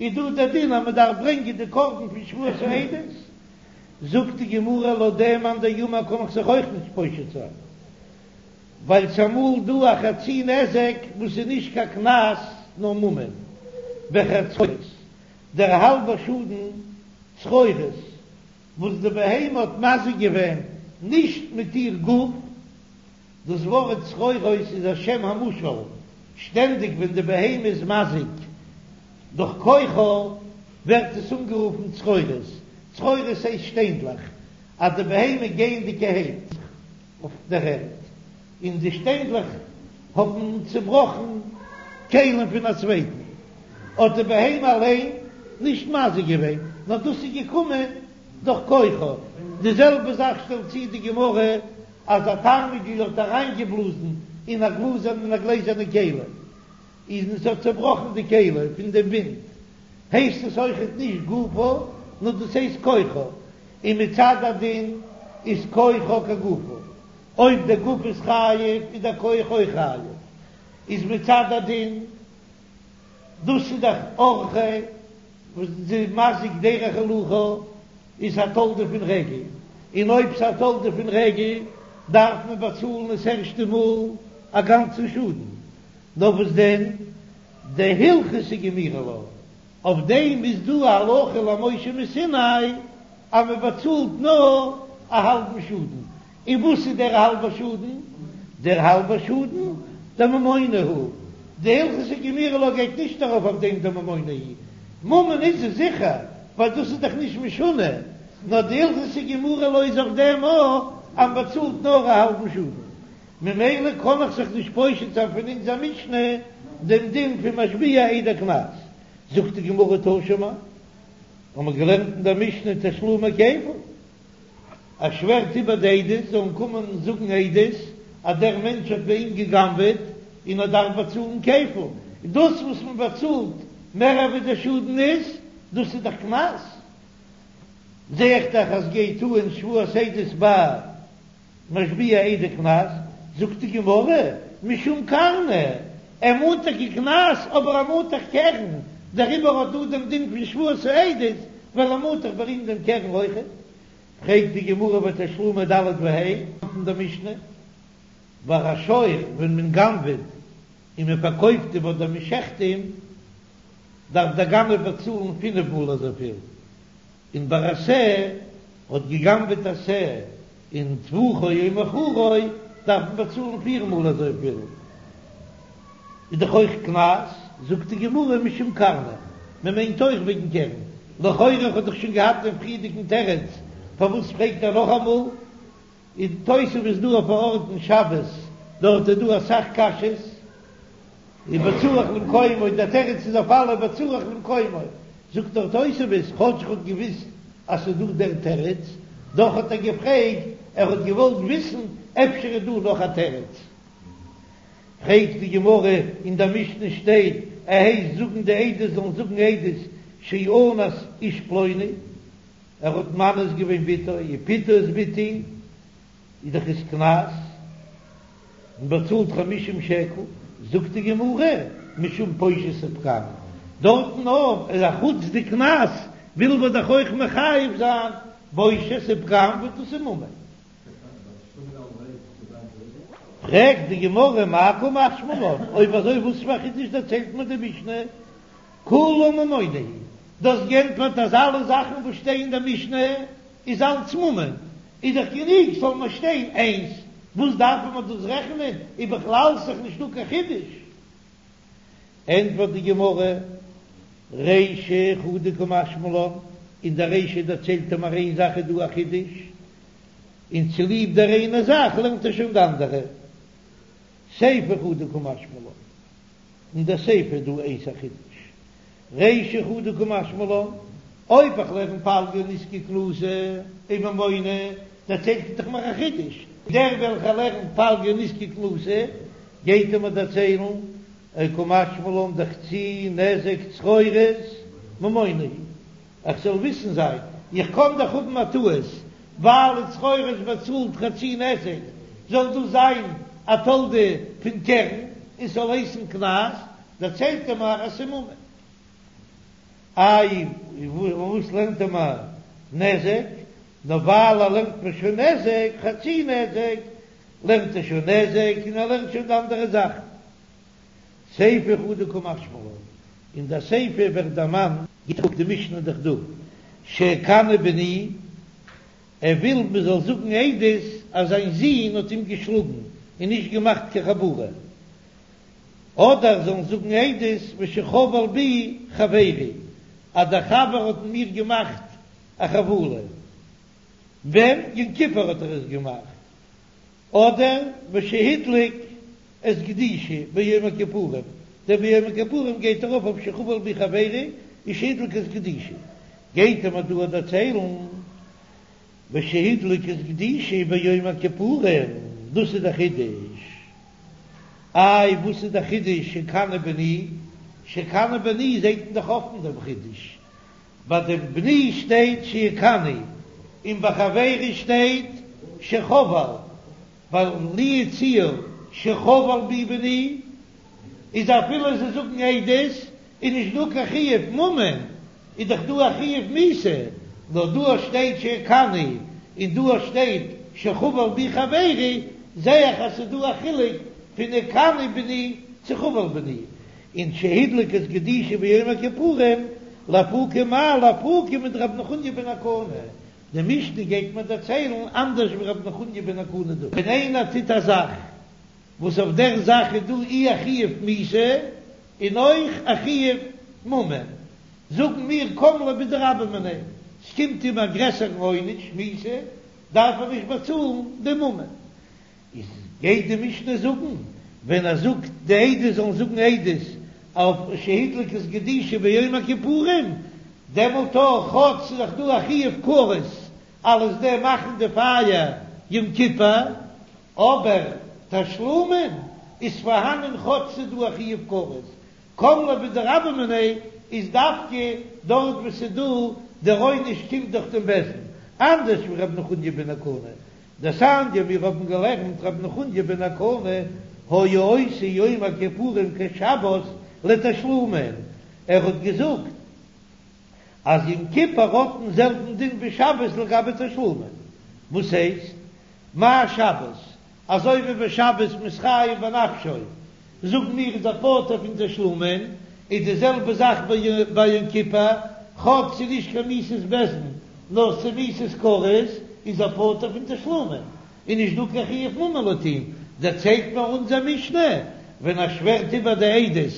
איז דא דער דין אז מען דארף ברענגען די קרבן פון שבועת העדות, זאגט די גמרא לויט דעם מאן דאמר קען איך זיך אויך נישט פושט זיין, ווייל ס'אמאל דא א חצי נזק וואס איז נישט קיין קנס נאר ממון וחצו דער האלבער שאדן צרורות וואס די בהמה האט מזיק געווען נישט מיט איר גוף, דאס ווארט צרורות איז א שם המושאל, שטענדיג ווען די בהמה איז מזיק דורך כוחה ווערט עס אנגערופן צרורות, צרורות הייסט שטיינדלעך, אז די בהמה גייענדיגערהייט אויף דער ערד און די שטיינדלעך האבן צעבראכן כלים פון א צווייטן, האט די בהמה אליין נישט מזיק געווען, נאר דאס איז געקומען דורך כוחה. די זעלבע זאך שטעלט צו די גמרא, אז א תרנגול האט אריינגעבלאזן אין א גלאזערנע אין א גלעזערנע כלי, און עס האט צעבראכן די כלי פון דעם ווינט, הייסט עס אויכעט נישט גופה, נאר דאס הייסט כוחה, און מצד הדין איז כוחה כגופה. אויב דער גוף איז חייב איז דער כח אויך חייב, איז מצד הדין, דאס איז דאך אורחיה וואס די מזיק דרך הילוכה איז א תולדה פון רגל, און אויב ס'איז א תולדה פון רגל דארף מען באצאלן עס ערשטע מאל א גאנצן שאדן, נאר וואס דען דהלכתא גמירי לה, אויף דעם איז דא א הלכה למשה מסיני אז מען באצאלט נאר א האלבן שאדן, און וואס איז דער האלבער שאדן? דער האלבער שאדן דממונא הוא, דהלכתא גמירי לה גייט נישט ארויף אויף דעם דממונא הוא, ממון איז עס זיכער ווייל דאס איז דאך נישט משונה, נאר דהלכתא גמירי לה איז אויף דעם אויך אז מען באצאלט נאר א האלבן שאדן, ממילא קען איך זיך נישט פושט זיין פון אונזער משנה דעם דין פון משביע עדי קנס, זאגט די גמרא תא שמע, האבן מיר געלערנט אין דער משנה תשלומי כפל, ער שווערט איבער די עדות זאלן קומען זאגן עדות אז דער מענטש האט ביי אים גע'גנב'עט און ער דארף באצאלן כפל, דאס וואס מען באצאלט מער ווי דער שאדן איז, דאס איז דאך קנס, זע איך דאך אז גייט אן שבועת עדות ביי משביע עדי קנס, זאגט די גמרא, משום קרנא, ער מאנט טאקע קנס אבער ער מאנט דאך קרן, דעריבער האט דא דעם דין פון שבועת העדות, ווייל ער מאנט דאך ביי אים דעם קרן אויכעט. פרעגט די גמרא ותשלומי ד' וה' אין דער משנה, ביי א שור ווען מען גנב'עט און מען פארקויפט אים אדער מען שעכט אים, דארף דער גנב באצאלן פינף מאל אזויפיל, און ביי א שה האט געגנבעט א שה און טבחו או מכרו דארף מען באצאלן פיר מאל אזויפיל, איז דאך אויך קנס, זאגט די גמרא משום קרנא, מען מיינט אויך וועגן קרן, לכאורה האט דאך שוין געהאט דעם פריערדיגן תירוץ, פארוואס פרעגט ער נאכאמאל? אין תוספות איז דא אויף א ארט אין שבת, דארט איז דא אסאך קשיות, ובצורך למקומו, דער תירוץ איז אויף אלע ובצורך למקומו, זאגט דער תוספות, כאטש ער האט געוויסט אז ס'איז דא דער תירוץ, דאך האט ער געפרעגט, ער האט געוואלט וויסן אפשר איז דא נאך א תירוץ. פרעגט די גמרא, אין דער משנה שטייט, ער הייסט זאגן די עדות זאלן זאגן עדות שאנס איש פלוני, ער האט מאנס געווען בתו, ופיתה את בתי, איז דאך עס קנס, מען באצאלט חמישים שקל, זאגט די גמרא, משום בושת ופגם, דארטן אויך איז א חוץ די קנס, וויל מען דאך אויך מחייב זיין בושת ופגם וואס דאס איז ממון. פרעגט די גמרא מאי קא משמע לן, אויב אזוי וואס פאר א חידוש דערציילט מיר די משנה? כולה ממונא היא, דו האסט געענטפערט אז אלע זאכן וואס שטייען אין די משנה איז אלץ ממון, איז דאך גענוג ס'זאל נאר שטיין איינס, וואס דארף מען דאס רעכענען, איז בכלל ס'דאך נישטא קיין חידוש. ענטפערט די גמרא, רישא חדא קא משמע לן, אין די רישא דערציילט ער מיר איין זאך איז דא א חידוש, און צוליב דער איינער זאך לערנט ער שוין די אנדערע. סיפא חדא קא משמע לן, אין דער סיפא איז דא איינס א חידוש. רישא חדא קא משמע לן, אויב איך לערן פלגא נזקא קנסא וממונא, דערציילט ער דאך מיר א חידוש, דער וועלכער לערנט פלגא נזקא קנסא גייט ער מיר דערציילן קא משמע לן דחצי נזק צרורות ממונא היא. איך זאל וויסן זיין, איך קען דאך האבן א טעות, ווייל צרורות באצאלט חצי נזק, זאל דאס זיין א תולדה פון קרן און ס'זאל הייסן קנס, דערציילט ער מיר אז ס'איז ממון. איי, וואס לערנט ער מיר נזק? נאר ווייל ער לערנט מיר שוין נזק, חצי נזק, לערנט ער שוין נזק און ער לערנט שוין די אנדערע זאכן. סיפא חדא קא משמע לן, אין דער סיפא ווערט דערמאנט, זאגט די משנה דאך דא, שהכני בני, ער וויל מען זאל זאגן עדות אז זיין זון האט אים געשלאגן און נישט געמאכט קיין חבורה, אדער זאלן זאגן עדות ושחבל בי חברי, אז דער חבר האט אין מיר געמאכט א חבלה, ווען? יום כיפור האט ער עס געמאכט. אדער ושהדליק את גדישי ביום הכיפורים, דער ביום הכיפורים גייט ארויף אויף שחבל בי חברי און שהדליק את גדישי, גייט ער מיר דא דערציילן ושהדליק את גדישי ביום הכיפורים, דאס איז דער חידוש. איי וואס איז דער חידוש שהכני בני? שהכני בני זעט מען דאך אפן דעם חידוש, ביי דעם בני שטייט שהכני און ביי חברי שטייט שחבל, ווייל לו יצוייר שחבל בי בני איז אפילו זיי זאגן עדות איז נישט דא קיין חיוב ממון, איז דאך דא א חיוב מיתה, נאר דא שטייט שהכני און דא שטייט שחבל בי חברי, זעה איך אז ס'איז דא א חילוק פון הכני בני צו חבל בני, און שהדליק את גדישי ביום הכיפורים, לאפוקי מאי לאפוקי מדרבי נחוניא בן הקנה, די משנה גייט מיר דערציילן אנדערש ווי רבי נחוניא בן הקנה דא, ווען איינער טוט א זאך וואס אויף דער זאך איז דא אי א חיוב מיתה און אויך א חיוב ממון, זאגן מיר קם ליה בדרבה מיניה, ס'קומט אים א גרעסערן עונש מיתה, דארף ער נישט באצאלן די ממון. איז גייט די משנה זאגן ווען ער זאגט די עדות זאלן זאגן עדות אויף שהדליק את גדישי ביום הכיפורים, דעמאלט אויך כאטש ס'איז דאך דא א חיוב כרת אלס דעם מאכן די פייער יום כיפור, אבער תשלומין איז פארהאנען כאטש ס'איז דא א חיוב כרת, קם ליה בדרבה מיניה איז דווקא דארט וואו ס'איז דא דער עונש קומט דורך דעם בית דין, אנדערש ווי ר' נחוניא בן הקנה דתניא מיר האבן געלערנט ר' נחוניא בן הקנה היה עושה יום הכיפורים כשבת לתשלומין, ער האט געזאגט אז יום כיפור האט דעם זעלבן דין ווי שבת לגבי תשלומין, וואס הייסט מה שבת? אזוי ווי ביי שבת מ'איז חייב בנפשו, זאגן מיר איז ער פטור פון תשלומין, איז די זעלבע זאך ביי יום כיפור, כאטש ס'איז נישט קיין מיתת בית דין, נאר ס'איז מיתת כרת, איז ער פטור פון תשלומין, איז נישט דא קיין חיוב ממון לויט אים, דערציילט מיר אונזער משנה, ווען ער שווערט איבער די עדות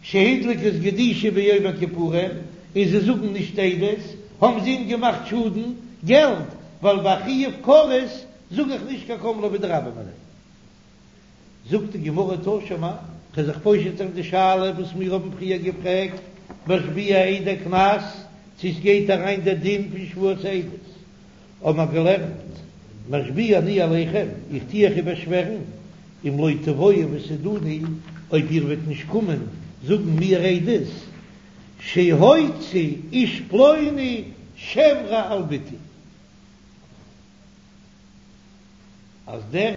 שהדליק את גדישי ביום הכיפורים, און זיי זאגן נישט עדות, האבן זיי אים געמאכט שאדן געלט, ווייל ביי חיוב כרת זאג איך נישט קיין קם ליה בדרבה מיניה. זאגט די גמרא תא שמע, כ'וועל זיך פושט זיין די שאלה וואס מיר האבן פריער געפרעגט, משביע עדי קנס, צו עס גייט אריין דער דין פון שבועת העדות, האבן מיר געלערנט, משביע אני עליכם, איך טו אייך איבערשווערן, אם לא תבואו ותעידוני, אויב איר וועט נישט קומען זאגן מיר עדות, שהוציא איש פלוני שם רע על בתי. אז דער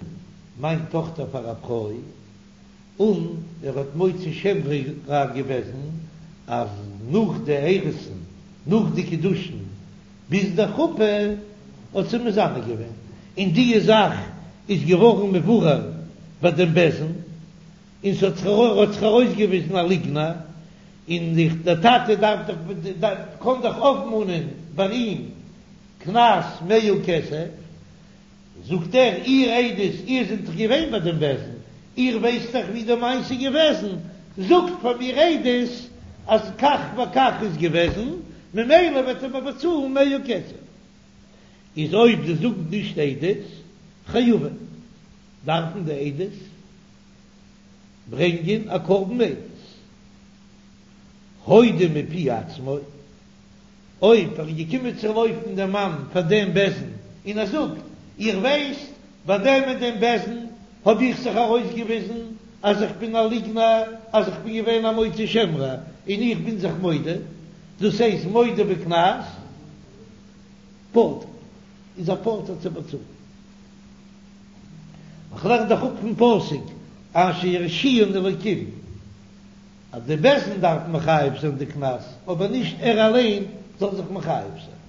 מיין טאכטער פאר א פרוי, און ער האט מוציא שם רע געוועזן אז נאך די אירוסין, נאך די קידושין ביז די חופה האט זי מזנה געווען, און די זאך איז געווארן מבורר. ביי דעם בית דין, און ס'האט זיך האט זיך ארויסגעוויזן א ליגנער, און דער טאטע דארף דאך קען דאך אויפמאנען ביי אים קנס מאה כסף, זאגט ער, איר עדות, איר זענט דאך געווען ביי דעם בית דין, איר ווייסט דאך ווי די מעשה איז געוועזן, זאגט פאר מיר עדות אז כך וכך איז געוועזן, ממילא וועט ער מיר באצאלן מאה כסף. איז אויב זיי זאגן נישט עדות, חייבין, דארפן די עדות ברענגען א קרבן עדות. הודה מפי עצמו. אויב ער איז געקומען צו לויפן דעם מאן פאר דעם בית דין און ער זאגט, איר ווייסט, ביי דעם און דעם בית דין האב איך זיך ארויסגעוויזן אז איך בין א ליגנער, אז איך בין געווען א מוציא שם רע, און איך בין זיך מודה, דאס הייסט מודה בקנס, פטור, איז ער פטור צו באצאלן. איך לערן דאך אפ פון פסוק אשר ירשיען אלוקים. אז די בית דין דארף מחייב זיין די קנס, אבער נישט ער אליין זאל זיך מחייב זיין.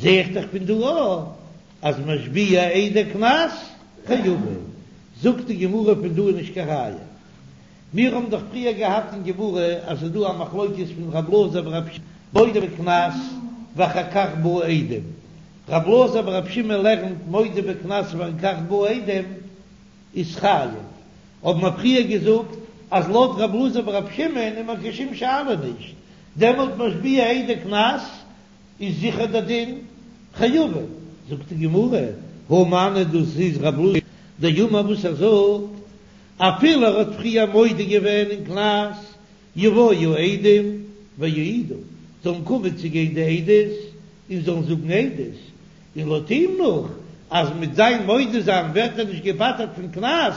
זע איך דאך פון דא אויך אז משביע עדי קנס חייבין. זאגט די גמרא פון דא איז נישט קיין ראיה. מיר האבן דאך פריער געהאט אין גמרא אז ס'איז דא א מחלוקת פון רב אלעזר ברב שמעון מודה בקנס ואחר כך באו עדים. רב אלעזר ברב שמעון לערנט מודה בקנס ואחר כך באו עדים איז חייב. האבן מיר פריער געזאגט אז לויט רב אלעזר ברב שמעון איז מיר קיין שום שאלה נישט, דעמאלט משביע עדי קנס איז זיכער דער דין חייבין. זאגט די גמרא, הא מני דאס איז רב אלעזר דאמר וואס ער זאגט, אפילו ער האט פריער מודה געווען אין קנס, יבואו עדים ויעידו, זאלן קומען צו גיין די עדות און זאלן זאגן עדות, און לויט אים נאך אז מיט זיין מודה זיין ווערט ער נישט געפטר'ט פון קנס,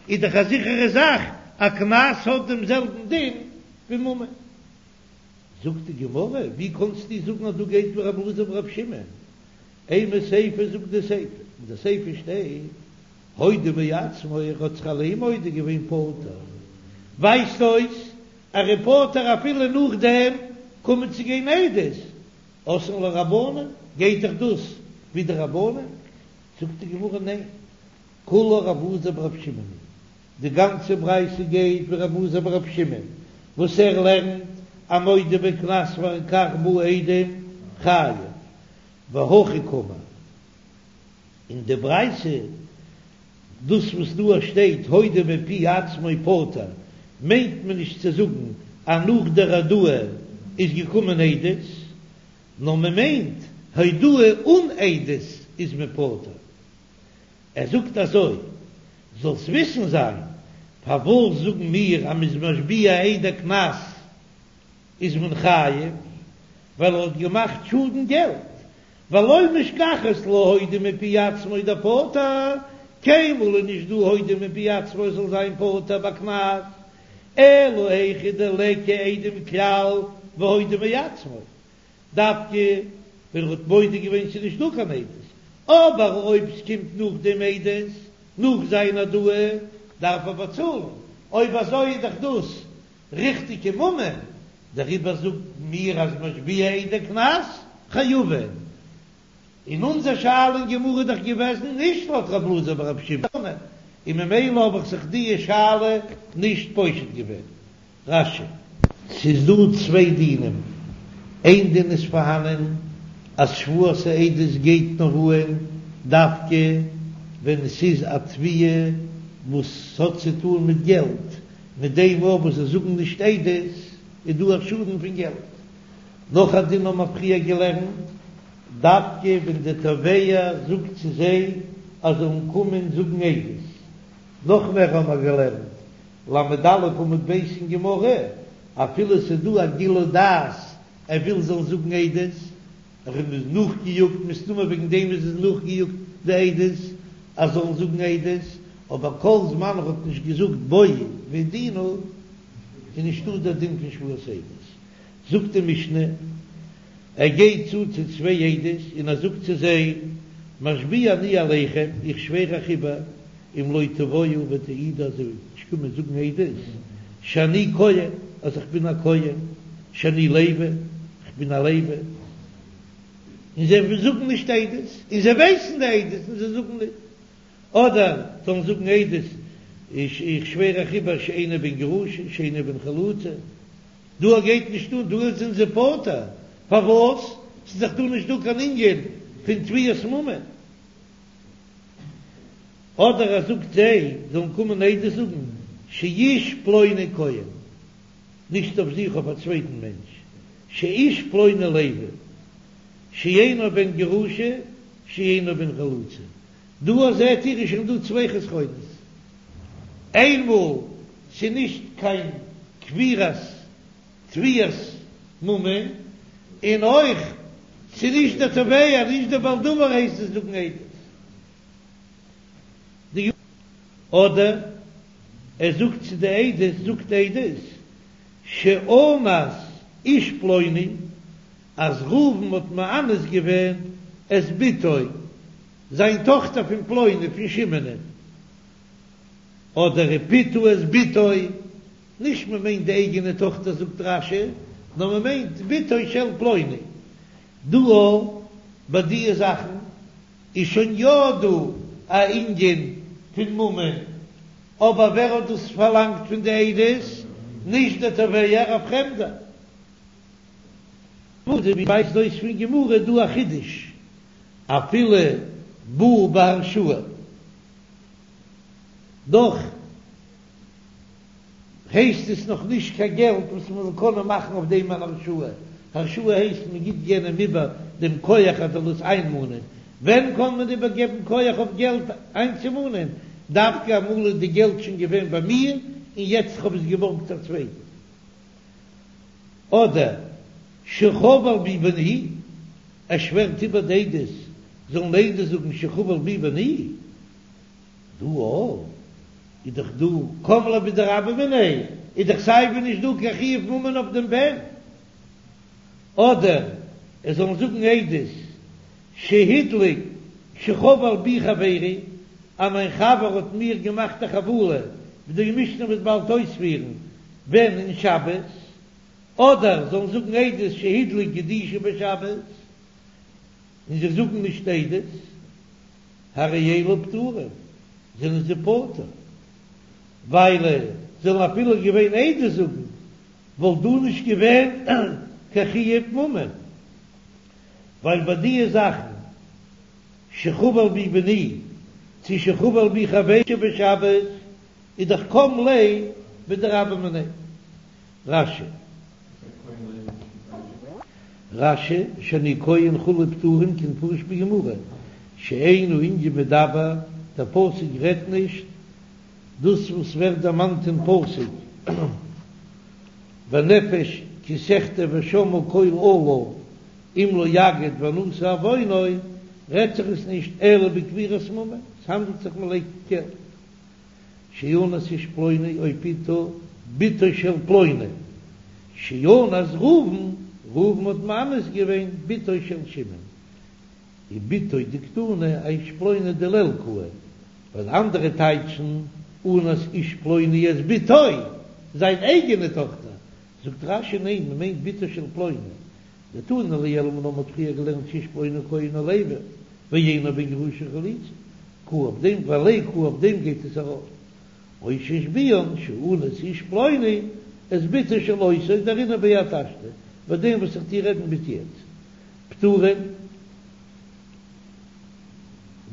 איז דאך א זיכערע זאך אז קנס האט דעם זעלבן דין ווי ממון. זאגט די גמרא, ווי קאנסטו זאגן אז דא גייט ווי רב אלעזר ברב שמעון? אימא סיפא זאגט די סיפא, אין די סיפא שטייט הודה מעצמו ער האט זיך אליין מודה געווען פטור, ווייזט אויס אז ער איז פטור אפילו נאכדעם קומען צו גיין עדות, אתאן לרבנן, גייט דאך דאס ווי די רבנן? זאגט די גמרא ניין, כולה רב אלעזר ברב שמעון היא, די גאנצע ברייתא גייט ווי רב אלעזר ברב שמעון וואס ער לערנט אז מודה בקנס ואחר כך באו עדים חייב, והכי קאמר, אין די ברייתא דאס וואס דא שטייט הודה מפי עצמו פטור מיינט מען נישט צו זאגן אז נאך דער הודאה איז געקומען עדות, נאר מען מיינט הודאה אן עדות איז מען פטור. ער זאגט אזוי, זאלסט וויסן זיין, פארוואס זאגן מיר אז מ'איז משביע עדי קנס איז מען חייב, ווייל ער האט געמאכט שאדן געלט, ולא משכחת לה הודה מפי עצמו דפטור, קיינמאל איז נישט דא הודה מפי עצמו זאל זיין פטור ביי קנס, אלא היכא דליכא עדים כלל והודה מעצמו, דווקא ווען ער האט מודה געווען ס'איז נישט דא קיין עדות, אבער אויב ס'קומט נאכדעם עדות, נאך זיין הודאה, דארף ער באצאלן, אויב אזוי איז דאך דאס ריכטיגע ממון, דעריבער זאגן מיר אז משביע עדי קנס חייבין. און אונזער שאלה אין גמרא איז דאך געוועזן נישט לויט רב אלעזר ברב שמעון, און ממילא האב איך זיך דיע שאלה נישט פושט געווען. רש"י. ס'איז דא צוויי דינים, איין דין איז פארהאנען אז שבועת העדות גייט נאר אהן דווקא ווען ס'איז א תביעה וואס האט צו טאן מיט געלט, מיט דעם אויך וואס זיי זאגן נישט עדות איז דא א שאדן פון געלט. נאך א דין האבן מיר פריער געלערנט, דווקא ווען די תובע זאגט צו זיי אז זיי זאלן קומען זאגן עדות. נאך מער האבן מיר געלערנט, ל"א עמוד ב' אין גמרא, אפילו ס'איז דא א גילוי דעת ער וויל זאלן זאגן עדות, ער איז נאכגעיאגט, מסתמא וועגן דעם איז עס נאכגעיאגט די עדות אז זאלן זאגן עדות, אבער כל זמן ער האט נישט געזאגט בואו והעידונה איז נישטא דער דין פון שבועת עדות. זאגט די משנה, ער גייט צו צו צוויי עדות און ער זאגט צו זיי, משביע אני עליכם, איך שווער אייך איבער, אם לא תבואו ותעידו אז איר וועט נישט קומען זאגן עדות, שאני כהן, אז איך בין א כהן, שאני לוי, איך בין א לוי, און זיי זאגן נישט עדות, און זיי ווייסן די עדות און זיי זאגן נישט. אדער זאלן זאגן עדות איך שווער אייך איבער שאינו בן גרושה שאינו בן חלוצה, דא גייט נישט אן, דא זענען זיי פטור, פארוואס? ס'איז דאך דא נישט דא קיין ענין פון תביעת ממון. אדער ער זאגט זיי זאלן קומען עדות זאגן שאיש פלוני כהן, נישט אויף זיך אויף א צווייטן מענטש, שאיש פלוני לוי, שאינו בן גרושה שאינו בן חלוצה, דא זעט איר איז שוין דא צוויי חסרונות, איינמאל ס'איז נישט קיין כפירת תביעת ממון, און אויך ס'איז נישט דער תובע נישט דער בעל דבר הייסט עס זאגן עדות. די אדער ער זאגט צו די עדות זאגט עדות שאנס איש פלוני אז ראובן האט מאנס געווען את בתו זיין טאכטער פון פלוני פון שמעונ'ען אדער ופיתה את בתו נישט מען מיינט די אייגענע טאכטער זאגט רש"י נאר מען מיינט בתו של פלוני דא ביי דיע זאכן איז שוין יא דא א ענין פון ממון, אבער ווער האט דאס פארלאנגט פון די עדות? נישט דער תובע, א פרעמדער. ווי ווייזט אויס פון גמרא איז דא א חידוש, אפילו בא בהרשאה, דאך הייסט עס נאך נישט קיין געלט וואס מען זאל קענען מאכן אויף דעם אן הרשאה, הרשאה הייסט מען גיט יענעם איבער דעם כח ער זאל עס איינמאנען, ווען קען מען איבערגעבן כח אויף געלט איינצומאנען? דווקא אמאל איז די געלט שוין געווען ביי מיר און יעצט כ'האב עס געבארגט צו א צווייטן. אדער שחבל בי בני, ער שווערט איבער די עדות זאלן עדות זאגן שחבל בי בני. דא אויך איז דאך דא קם ליה בדרבה מיניה, איז דאך סיי ווי נישט דא קיין חיוב ממון אויף דעם בן, אדער עס זאלן זאגן עדות שהדליק שחבל בי חברי, אז מיין חבר האט מיר געמאכט א חבלה, ווי די משנה וועט באלד אויספירן, ווען אין שבת, אדער זאלן זאגן עדות שהדליק גדישי בשבת, און זיי זאגן נישט עדות. הרי אלו פטורים, זענען זיי פטור, ווייל זאלן אפילו געווען עדות זאגן, וואלט דא נישט געווען קיין חיוב ממון, ווייל ביי דיע זאכן שחבל בי בני צו שחבל בי חברי בשבת איז דאך קם ליה בדרבה מיניה. רש"י. רש"י, שאני כהן וכו' פטורים כמפורש בגמרא, שאין הענין מדבר, דער פסוק רעדט נישט דאס וואס ווערט דערמאנט אין פסוק והנפש כי תחטא ושמעה קול אלה אם לא יגיד ונשא עוונו, רעדט זיך עס נישט אלא בכפירת ממון, עס האנדלט זיך מען לייגט געלט. שאנס איש פלוני או פיתה בתו של פלוני, שאנס ראובן, ראובן האט מאנס געווען בתו של שמעון, ובתו דקתני אאיש פלוני דיליה קאי, ווייל אנדערע טייטשן אנס איש פלוני את בתו, זיין אייגענע טאכטער, זאגט רש"י ניין מען מיינט בתו של פלוני, דתנא לעיל מיר האבן פריער געלערנט שאיש פלוני כהן או לוי ואינו בן גרושה וחליצה, קאי אויף דעם ועליה קאי אויף דעם גייט עס ארויף, או שהשביען שאנס איש פלוני את בתו של אותו דארינא בי עד השתא, ביי דעם וואס איך טוה רעדן ביז יעצט פטורים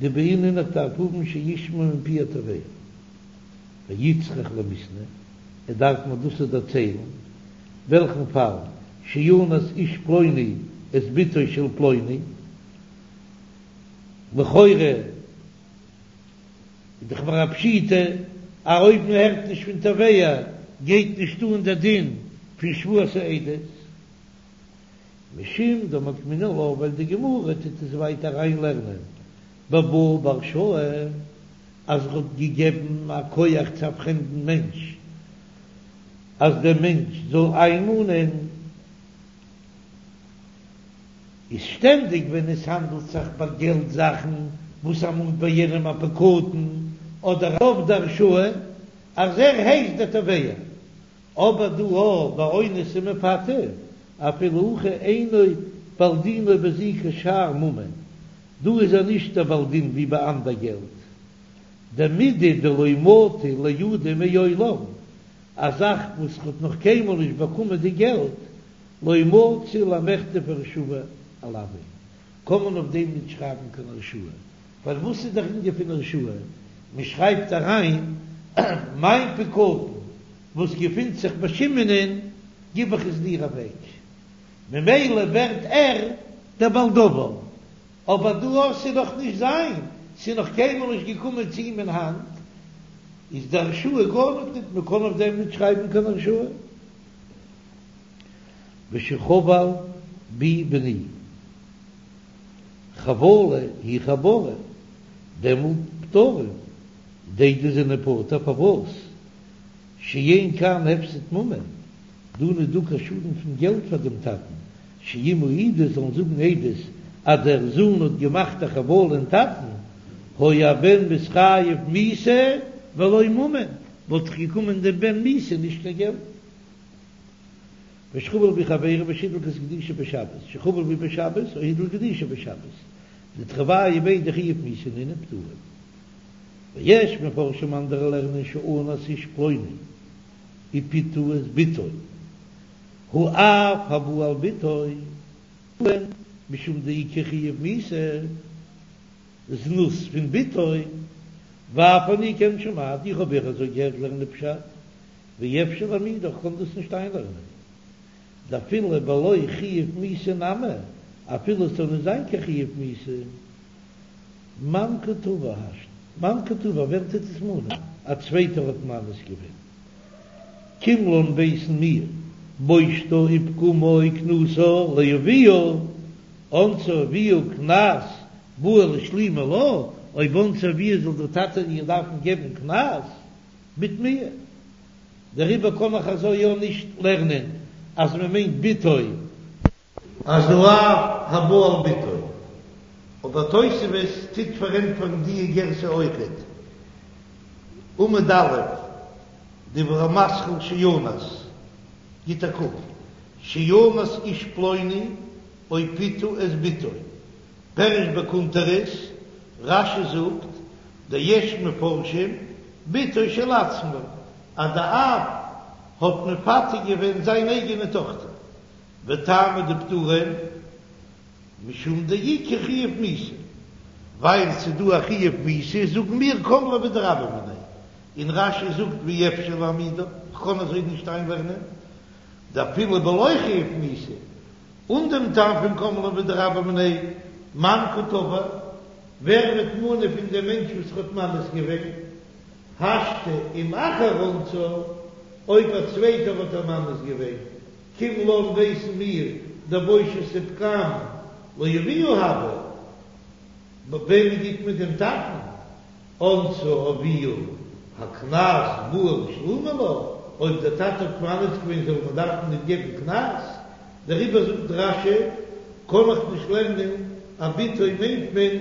דבעינן איך דארף האבן שישמע מפי התובע ואיצטריך למיתנא, ער דארף מיר דאס דערציילן. וועלכן פאל שאנס איש פלוני את בתו של פלוני, לכאורה איז דאך מיר א פשיטא אז אויב מען הערט נישט פון תובע גייט נישט אן דער דין פון שבועת העדות, משום דמוקמינן לה ווייל די גמרא טוט עס ווייטער אריינלערנען בבא בהרשאה אז ער האט געגעבן א כח צו א פרעמדן מענטש. אז דער מענטש זאל איינמאנען, איז שטענדיג ווען עס האנדלט זיך ביי געלט זאכן וואס ער מאנט ביי יענעם א פקדון אדער אויף די הרשאה אז ער הייסט דער תובע, אבער דא אויך ביי אונס ומפתה אפילו הכי אינו בעל דינו בזו כשאר ממון, דא איז ער נישט דער בעל דין ווי ביי אנדער געלט. דמידי דלא מטא לידיה מעולם, א זאך וואס כ'האט נאך קיינמאל נישט באקומען די געלט, לא מצי למיכתב הרשאה עילויה, קען מען אויף דעם נישט שרייבן קיין הרשאה, ווייל וואס איז דער ענין פון הרשאה? מען שרייבט אריין מיין פקדון וואס געפינט זיך ביי שמעונ'ען גיב איך עס דיר אוועק, ממילא ווערט ער דער בעל דבר, אבער דא אז ס'איז נאך נישט זיין, ס'איז נאך קיינמאל נישט געקומען צו אים אין האנט, איז די הרשאה גארניט ניט, מען קען אויף דעם נישט שרייבן קיין הרשאה. ושחבל בי בני. חבלה היא חבורה, דעמאלט פטורין, די עדות זענען פטור פארוואס? שאין כאן הפסד ממון, דא נישט דא קיין שאדן פון געלט פאר דעם טאטן, שאם העידו זאלן זאגן עדות אז דער זוהן האט געמאכט א חבלה אין טאטן, היה הבן מתחייב מיתה ולא ממון, וואלט זיך געקומען דעם בן מיתה נישט קיין געלט. ושחבל בי חבירו ושהדליק את גדישו בשבת, שחבל בי בשבת או הדליק גדישו בשבת, דתרוייהו בי דחיוב מיתה נינהו פטורין. ויש מפרשים אנדערע לערנען שאנס איש פלוני ופיתה את בתו, האב הבא על בתו, משום דאיכא חיוב מיתה, זנות פון בתו, ואף אני כן שמעתי, איך האב אויך אזוי געהערט לערנען פשט, ואי אפשר להעמידה, איך קען דאס נישט איינלערנען. דאפילו בלא חיוב מיתה נמי, אפילו עס זאל נישט זיין קיין חיוב מיתה, מאן קא תבע השתא, מאן קא תבע, ווער טוט עס מאנען? א צווייטער האט מאנס געווען. קים לן ווייסן מיר, בושתה ופגומה וקנסה לאביה, אנסה אביה קנס בעי לשלומי לה, אויב אנסה אביה זאל דער טאטע איר דארפן געבן קנס, בתמיה. דעריבער קען איך אזוי יא נישט לערנען אז מען מיינט בתו. אז האב הבא על בתו. אבער תוספות טוט פארענטפערן דיע גירסא אויכעט. עמוד א', דיבור המתחיל שאנס, גיט א קוק, שאנס איש פלוני או פיתה את בתו. פירש בקונטרס, רש"י זאגט, דיש מפרשים בתו של עצמו, אז די אב האט מפתה געווען זיין אייגענע טאכטער, וטעמא דפטורין משום דאיכא חיוב מיתה, ווייל ס'איז דא א חיוב מיתה זאגן מיר קם ליה בדרבה מיניה, און רש"י זאגט ואי אפשר להעמידה, כ'קען אזוי נישט איינלערנען, דאפילו בלא חיוב מיתה, אן דעם טעם פון קם ליה בדרבה מיניה, מאן קא תבע, ווער וועט מאנען פון דעם מענטש וואס האט מאנס געווען? השתא אם אחר אנסה, אויב א צווייטער האט איר מאנס געווען, קים לן ווייסן מיר דבושת ופגם לאביה הוה, וועמען גיט מען דעם טאטן? אנסה אביה הקנס בעי לשלומי לה, אויב דער טאטע האט מאנס געווען זאל מען דארפן ניט געבן קנס, דעריבער זאגט רש"י, קען איך נישט לערנען אז בתו מיינט מען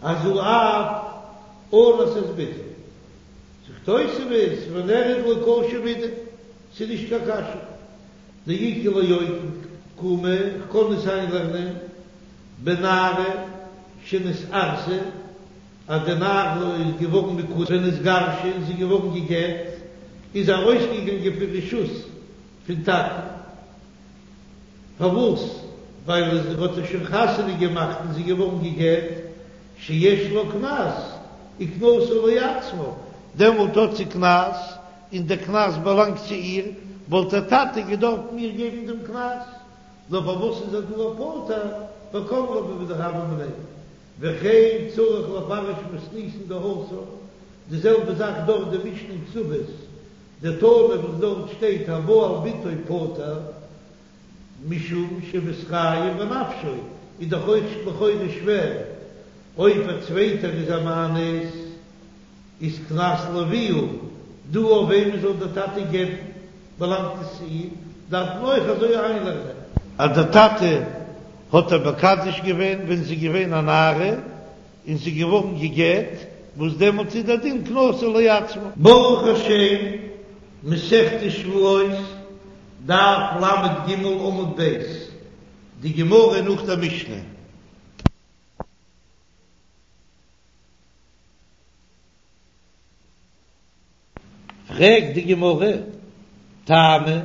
אז האב אנס את בתו. זאגט תוספות ונראה דלא קשיא מידי, ס'איז נישט קיין קשיא, דאיכא לאוקמי, כ'קען עס איינלערנען בנערה שנתארסה, אז די נערה איז געווארן מקודש ונתגרשה און זי איז געווארן גע'גט, איז ארויסגעגאנגען פון רשות פון טאטן, פארוואס? ווייל ער האט איר שוין חתונה געמאכט און זי איז געווארן גע'גט, שיש לה קנס וקנסה לעצמה, דעמאלט האט זי קנס און דער קנס באלאנגט צו איר, וואלט דער טאטע געדארפט איר געבן דעם קנס, נאר פארוואס איז ער דא פטור ווייל קם ליה בדרבה מיניה? וכן צריך לפרש מתניתין דהתם, די זעלבע זאך דארט די משנה אין כתובות, דתנא וואס דארט שטייט הבא על בתו פטור משום שמתחייב בנפשו, איז דאך אויך לכאורה שווער אויב א צווייטער איז א מאנס. איז קנס לאביה, דא אויף וועמען זאל דער טאטע געבן, באלאנגט עס צו אים, דארף מען אויך אזוי איינלערנען. אז דער טאטע האט איר מקדש געווען ווען זי איז געווען א נערה, און זי איז געווארן גע'גט, וואס דעמאלטס איז דער דין קנסה לעצמה. ברוך השם, מסכת שבועות, דף ל"ג עמוד ב', די גמרא נאך דער משנה. פרעגט די גמרא, טעמא,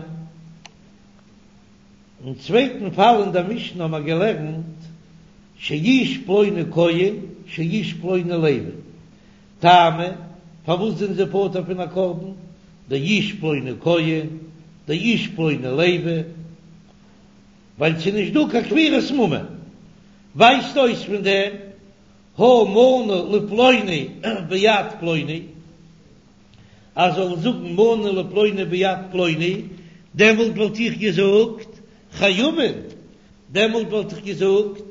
אין צווייטן פאל אין דער משנה האבן מיר געלערנט שאיש פלוני כהן שאיש פלוני לוי, טעמא, פארוואס זענען זיי פטור פון א קרבן, דאיש פלוני כהן, דאיש פלוני לוי, ווייל ס'איז נישט דא קיין כפירת ממון, ווייזט אויס פון דעם הא מנה לפלוני ביד פלוני, אז זאל זאגן מנה לפלוני ביד פלוני, דעמאלט וואלט איך געזאגט חייבין, דעמאלט וואלט איך געזאגט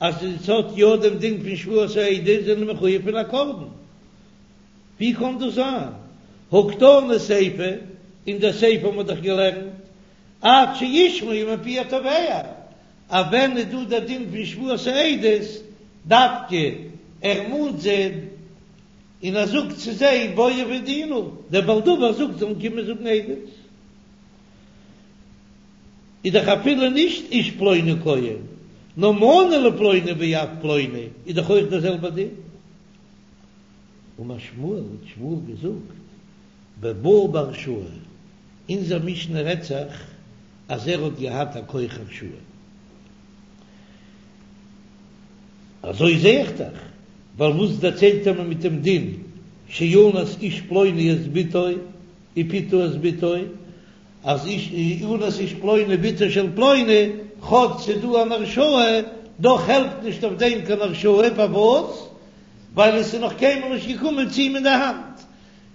אז עס האט יא דעם דין פון שבועת העדות זענען מחויב פון א קרבן. ווי קען דאס זיין? הא קתני סיפא, אין דער סיפא האט מען דאך געלערנט עד שישמעו מפי התובע, אז ווען איז דא דער דין פון שבועת העדות, דווקא ער מאנט זיי און ער זאגט צו זיי בואו והעידוה נא, דער בעל דבר זאגט זאלן קומען זאגן עדות, איז דאך אפילו נישט איש פלוני כהן, נאר מנה לפלוני ביד פלוני, איז דאך אויך דער זעלבער דין. אמר שמואל, האט שמואל געזאגט, בבא בהרשאה, אונזער משנה רעדט זיך אז ער האט געהאט א כח הרשאה. אזוי זע איך דאך, ווייל וואס דערציילט ער מיר מיט דעם דין שאנס איש פלוני את בתו ופיתה את בתו, אז איש אנס איש פלוני בתו של פלוני, כאטש ס'איז דא אן הרשאה, דאך העלפט נישט אויף דעם קיין הרשאה, פארוואס? ווייל עס איז נאך קיינמאל נישט געקומען צו אים אין די האנט.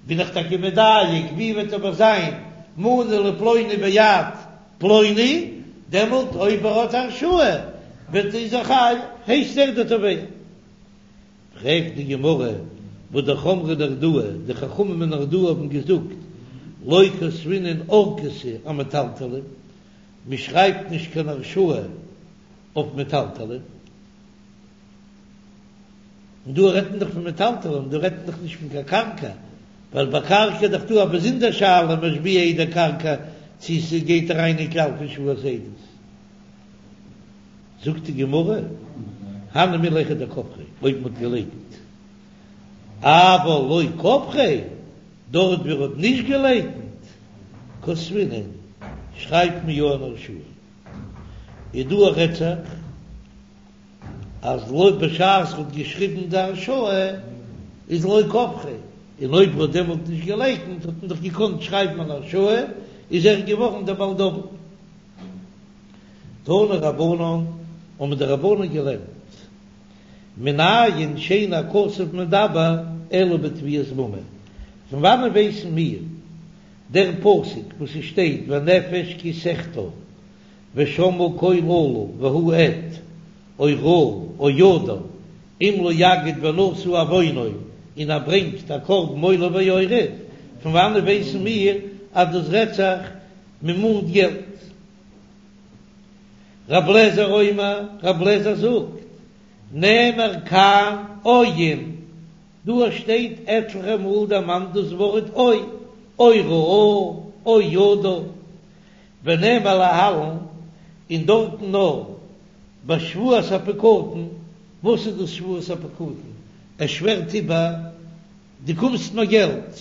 בין איך טאקע מדייק, ווי וועט אבער זיין מנה לפלוני ביד פלוני, דעמאלט אויב ער האט הרשאה וועט איז ער חייב, הייסט ער דער תובע. פרעגט די גמרא, והא דאך אמרי נהרדעי, די חכמים אין נהרדעא האבן געזאגט, לא כתבינן ארכתא אמטלטלין, מען שרייבט נישט קיין הרשאה אויף מטלטלין. און דא רעדט מען דאך פון מטלטלין, דא רעדט מען דאך נישט פון קיין קרקע, ווייל ביי קרקע איז דאך דא א באזונדער שאלה משביע עדי קרקע צו ס'גייט אריין אין כלל פון שבועת עדות. זאגט די גמרא, הני מילי היכא דכפריה, אויב מ'האט געלייקנט, אבל לא כפריה, דארט ווי ער האט נישט געלייקנט, כתבינן, שרייבט מען יא אן הרשאה. איז דא רעדט זיך. אז לא בשעת ר'האט געשריבן די הרשאה איז לא כפריה, און אויב ר'האט דעמאלט נישט געלייקנט האט מען דאך געקאנט שרייבן אן הרשאה, איז ער געווארן דער בעל דבר. תנו רבנן, האבן די רבנן געלערנט, מנין שאין הכתוב מדבר אלא בתביעת ממון, פון וואנען ווייסן מיר דער פסוק וואס עס שטייט והנפש כי תחטא ושמעה קול אלה והוא עד, או ראה, או ידע, אם לא יגיד ונשא עוונו, און ער ברענגט א קרבן עולה ויורד, פון וואנעט ווייסן מיר אז דאס רעדט זיך מען מאנט געלט? רב לעזער אומר, רב לעזער זאגט, נאמר כאן או אין, דא שטייט עטליכע מאל דערמאנט דאס ווארט או, או ראה, או ידע, ונאמר להלן, און דארטן נאר בשבועת הפקדון, וואס איז דאס שבועת הפקדון? ער שווערט איבער, דו קומסט מיר געלט,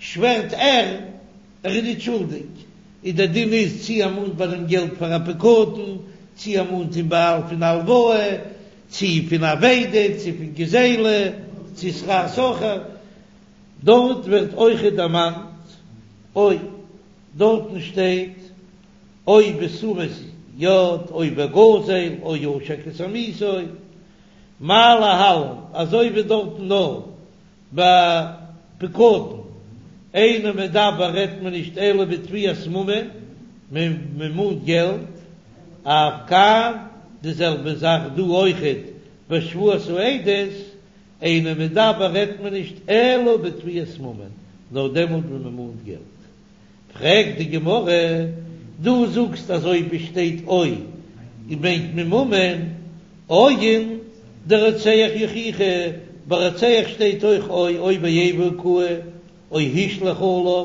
שווערט ער, ער איז נישט שולדיג, און דער דין איז צי ער מאנט ביי דעם געלט פאר א פקדון, צי ער מאנט אים בעל פון א הלוואה, צי פון אבידה, צי פון גזילה, צי שכר שכיר, דארט ווערט אויכעט דערמאנט או. דארטן שטייט או בתשומת יד או בגזל או עשק את עמיתו, מה להלן, אזוי ווי דארטן נאר ביי פקדון, אינו מדבר רעדט מען נישט אלא בתביעת ממון, מען מאנט געלט, אף כאן די זעלבע זאך דא אויכעט בשבועת העדות, אינו מדבר רעדט מען נישט אלא בתביעת ממון, נאר דעמאלט ווען מען מאנט געלט. פרעגט די גמרא, דו זאגסט אז אויב עס שטייט או מיינט מען ממון, או אין דרוצח יוכיחו, ביי רוצח שטייט אויך או, או באיבה הכהו, או השליך עליו,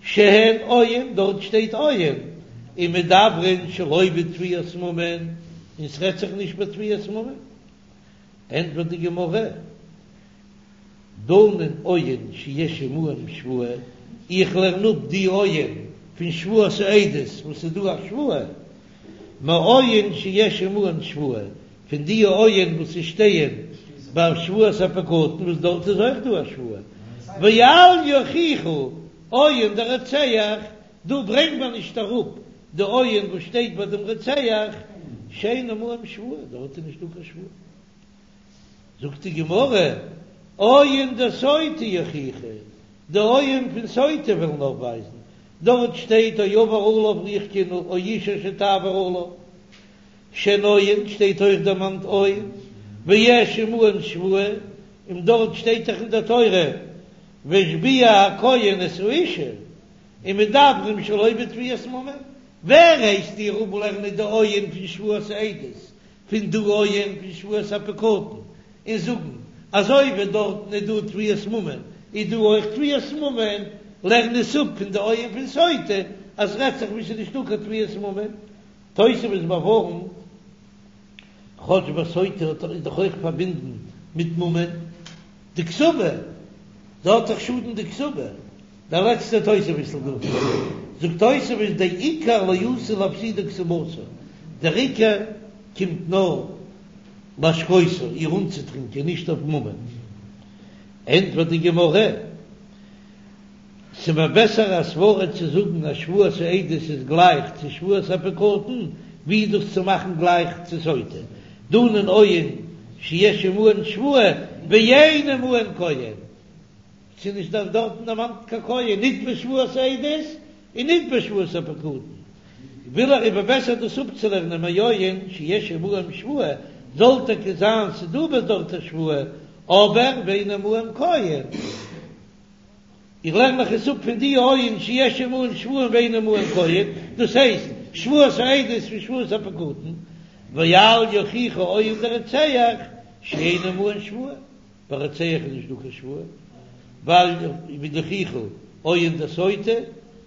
שהן או אין, דארט שטייט או אין, ומדברין שלא בתביעת ממון, און ס'רעדט זיך נישט בתביעת ממון. ענטפערט די גמרא, דנין או אין שיש עמהן שבועה. איך לערן אפ די אוהן פון שבועת העדות וואס איז דא א שבועה, מאוהן שיש עמהן שבועה, פון די אוהן וואס ס'שטייען ביי שבועת הפקדון וואס דארט איז אויך דא א שבועה, ואל יוכיחו אוהן דרוצח, דא ברענגט מען נישט אראפ די אוהן וואס שטייט ביי דעם רוצח, שאין עמהם שבועה, דארט איז נישט דא קיין שבועה. זאגט די גמרא, אוהן דסוטה יוכיחו, די אוהן פון סוטה וועלן אויפווייזן, דארט שטייט או עבר עליו רוח קנאה או אשה אשר תעבור עליו, שהן אוהן שטייט אויך דערמאנט או, ויש עמהן שבועה, און דארט שטייט דאך אין דער תורה והשביע הכהן את האשה, ומדברים שלא בתביעת ממון, ווער הייסט דיר אפלערנען די אוהן פון שבועת העדות פון די אוהן פון שבועת הפקדון און זאגן אזוי ווי דארטן איז דא תביעת ממון איז דא אויך תביעת ממון, לערן עס אפ פון די אוהן פון סוטה אז רעדט זיך וואו ס'איז נישטא קיין תביעת ממון. תוספות באווארנט, כאטש ביי סוטה האט איז דאך אויך פארבינדן מיט ממון, די כתובה, זי האט דאך שאדן די כתובה, דער לעצטער תוספות'ל דא, זאגט תוספות דעיקר לא אתי לאפסודי כתובתה, דער עיקר קומט נאר להשקותה, איר אנצוטרינקען, נישט אויף ממון. ענטפערט די גמרא, ס'מיר בעסער א סברא צו זאגן אז שבועת העדות איז גלייך צו שבועת הפקדון, ווי דאס צו מאכן גלייך צו סוטה, דנין אוהן שיש עמהן שבועה ואין עמהן כהן. ס'איז נישט דארט דארטן דערמאנט קיין כהן, ניט בשבועת העדות און ניט בשבועת הפקדון. וויל ער איבער בעסער דאס אפצולערנען מאוהן שיש עמהם שבועה, זאל טאקע זיין ס'דא ביי דארט א שבועה, אבער ואין עמהם כהן. איך לערן מיך עס אפ פון די אוהן שיש עמהם שבועה ואין עמהם כהן, דאס הייסט, שבועת העדות פון שבועת הפקדון, ואל יוכיחו אוהן דרוצח שאין עמהן שבועה. ביי רוצח איז נישט דא קיין שבועה, ואל יוכיחו אוהן דסוטה,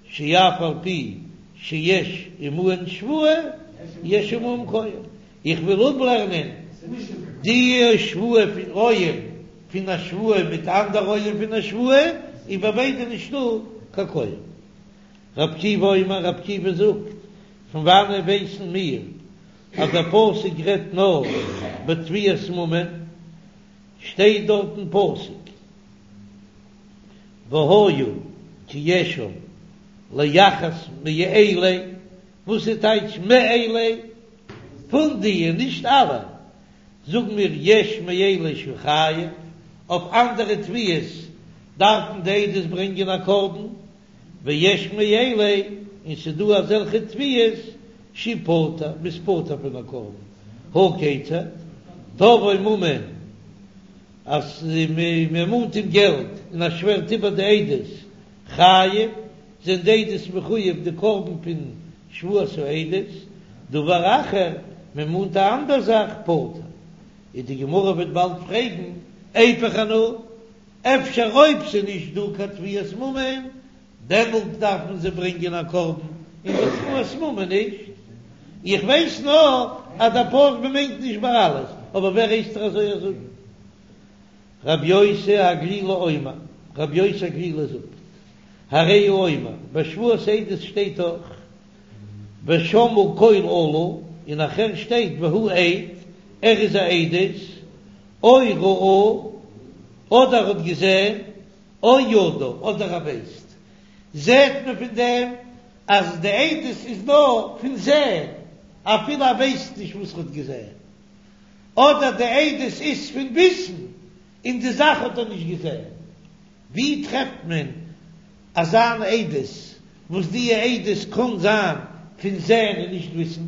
שאף על פי שיש עמהן שבועה, יש עמהם כהן. איך וויל אפלערנען די שבועה פון אוהן פון א שבועה מיט אנדערע אוהן פון א שבועה, און ביי ביידע נישטא קיין כהן. רבי עקיבא אומר, רבי עקיבא זאגט, פון וואנען ווייסן מיר אז דער פסוק רעדט נאר בתביעת ממון? שטייט דארט אין פסוק והיה כי אשם לאחת מאלה, וואס איז טייטש מאלה? פון די, נישט אלע, זאגן מיר יש מאלה שהוא חייב, אויף אנדערע תביעות דארפן די עדות ברענגען א קרבן, ויש מאלה, און ס'דא אזעלכע תביעות שהוא פטור, מ'איז פטור פון א קרבן, הא כיצד, תבעו ממון, אז מ'מאנט אים געלט און ער שווערט איבער די עדות, חייב, זענען די עדות מחויב די קרבן פון שבועת העדות, דבר אחר, מ'מאנט א אנדער זאך, פטור. און די גמרא וועט באלד פרעגן, איפוך אנא, אפשר אויב ס'איז נישט דא קיין תביעת ממון, דעמאלט דארף מען זיי ברענגען א קרבן, און ביי תביעת ממון נישט. איך ווייס נאר אז דער פסוק מיינט נישט ביי אלעס, אבער ווער הייסט דיר אזוי זאגן? רבי יוסי הגלילי אומר, רבי יוסי הגלילי זאגט, הרי הוא אומר, ביי שבועת עדות שטייט דאך ושמעו קול אלה, און נאכהער שטייט והוא עד, ער איז א עדות, או ראה, אדער האט געזען, או ידע, אדער ער ווייסט. זעט מען פון דעם אז די עדות איז נאר פון זען, אפילו ער ווייסט נישט וואס ער האט געזען. אדער די עדות איז פון וויסן, און די זאך האט ער נישט געזען. ווי טרעפט מען אזאן עדות וואס די עדות קען זיין פון זען און נישט וויסן?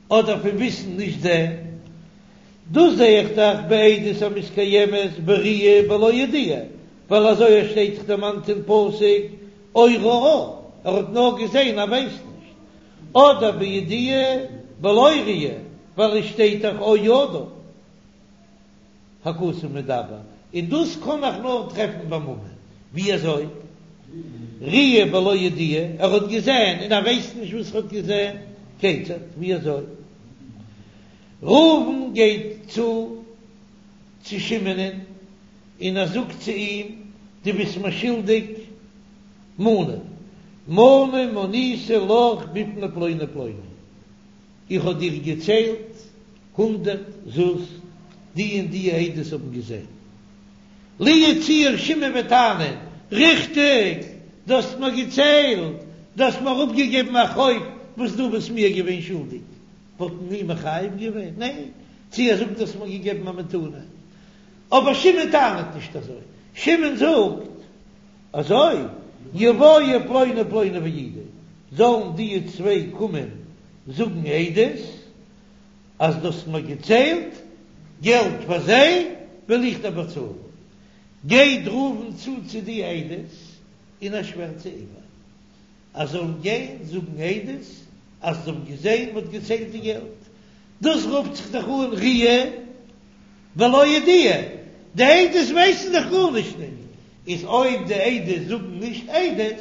אדער פון וויסן נישט זען? דאס זע איך דאך בעדות המתקיימת בראי' בלא ידיעה, ווייל אזוי עס שטייט דאך דערמאנט אין פסוק או ראה, ער האט נאר געזען ער ווייסט נישט, אדער בידיעה בלא ראי', ווייל עס שטייט דאך או ידע הכתוב מדבר, און דאס קען איך נאר טרעפן ביי ממון, ווי אזוי? ראי' בלא ידיעה, ער האט געזען און ער ווייסט נישט וואס ער האט געזען, כיצד? ווי אזוי? ראובן גייט צו צו שמעונ'ען און ער זאגט צו אים, דו ביסט מיר שולדיג. מנה, מנה מניתי לך בפני פלוני ופלוני, איך האב דיר געציילט הונדרעט זוז, די און די עדות האבן געזען. לו יצוייר שמעון וועט טענה'ן, ריכטיג, דו האסט מיר געציילט, דו האסט מיר אפגעגעבן א חוב וואס דו ביסט מיר געווען שולדיג, וואלט מען אים מחייב געווען? ניין, צו ער זאגט דו האסט מיר געגעבן א מתנה. אבער שמעון טענה'ט נישט אזוי, שמעון זאגט אזוי, יבואו פלוני ופלוני ויעידו, זאלן די צוויי קומען זאגן עדות אז דו האסט מיר געציילט געלט פאר זיי וועל איך דיר באצאלן. גייט ראובן צו צו די עדות און ער שווערט זיי איבער אז זיי זאלן גיין זאגן עדות אז זיי האבן געזען מ'האט געציילט די געלט. דאס רופט זיך דאך אן ראיה בלא ידיעה, די עדות ווייסן דאך גארנישט נישט, איז אויב די עדות זאגן נישט עדות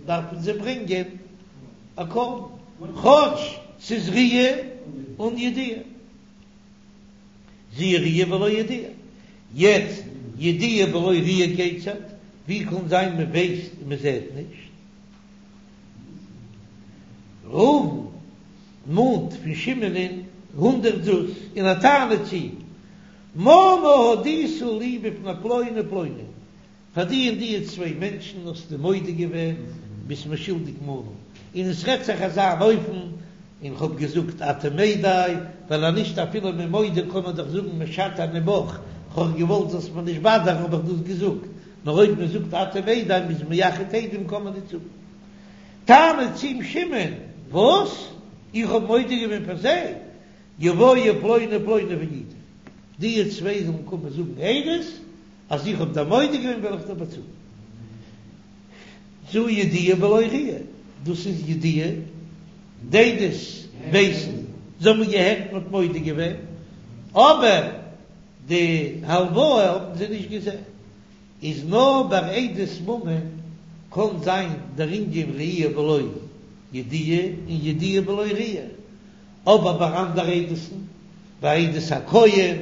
דארפן זיי ברענגען א קרבן, כאטש ס'איז ראיה אן ידיעה. זו ראיה בלא ידיעה. יעצט ידיעה בלא ראיה כיצד? ווי קען זיין מען ווייסט און מען זעט נישט? ראובן מאנט פון שמעונ'ען הונדרעט זוז און ער טענה'ט צו מנה הודית לי בפני פלוני ופלוני, פאר די און די צוויי מענטשן האסטו מודה געווען, ביסט מיר שולדיג מנה, און עס רעדט זיך אזא אן אופן, און כ'האב געזאגט אתה מדי, ווייל אז נישט אפילו מ'איז מודה קען מען דאך זאגן משטה אני בך, כ'האב געוואלט זאלסט מיר נישט באדערן האב איך דאס געזאגט, נאר אויב מען זאגט אתה מדי מ'איז מייחד עדים קען מען נישט זאגן. טענה'ט צו אים שמעון, וואס? איך האב מודה געווען פאר זיי? יבואו פלוני ופלוני ויעידו, די צוויי זאלן קומען זאגן עדות אז איך האב דיר מודה געווען וועל איך דיר באצאלן. זו ידיעה בלא ראיה, דאס איז ידיעה, די עדות ווייסן, זיי האבן געהערט מען האט מודה געווען, אבער די הלוואה האבן זיי נישט געזען. איז נאר ביי עדות ממון קען זיין דער ענין ראי' בלא ידיעה און ידיעה בלא ראי', אבער ביי אנדערע עדות'ן, ביי עדות הכהן,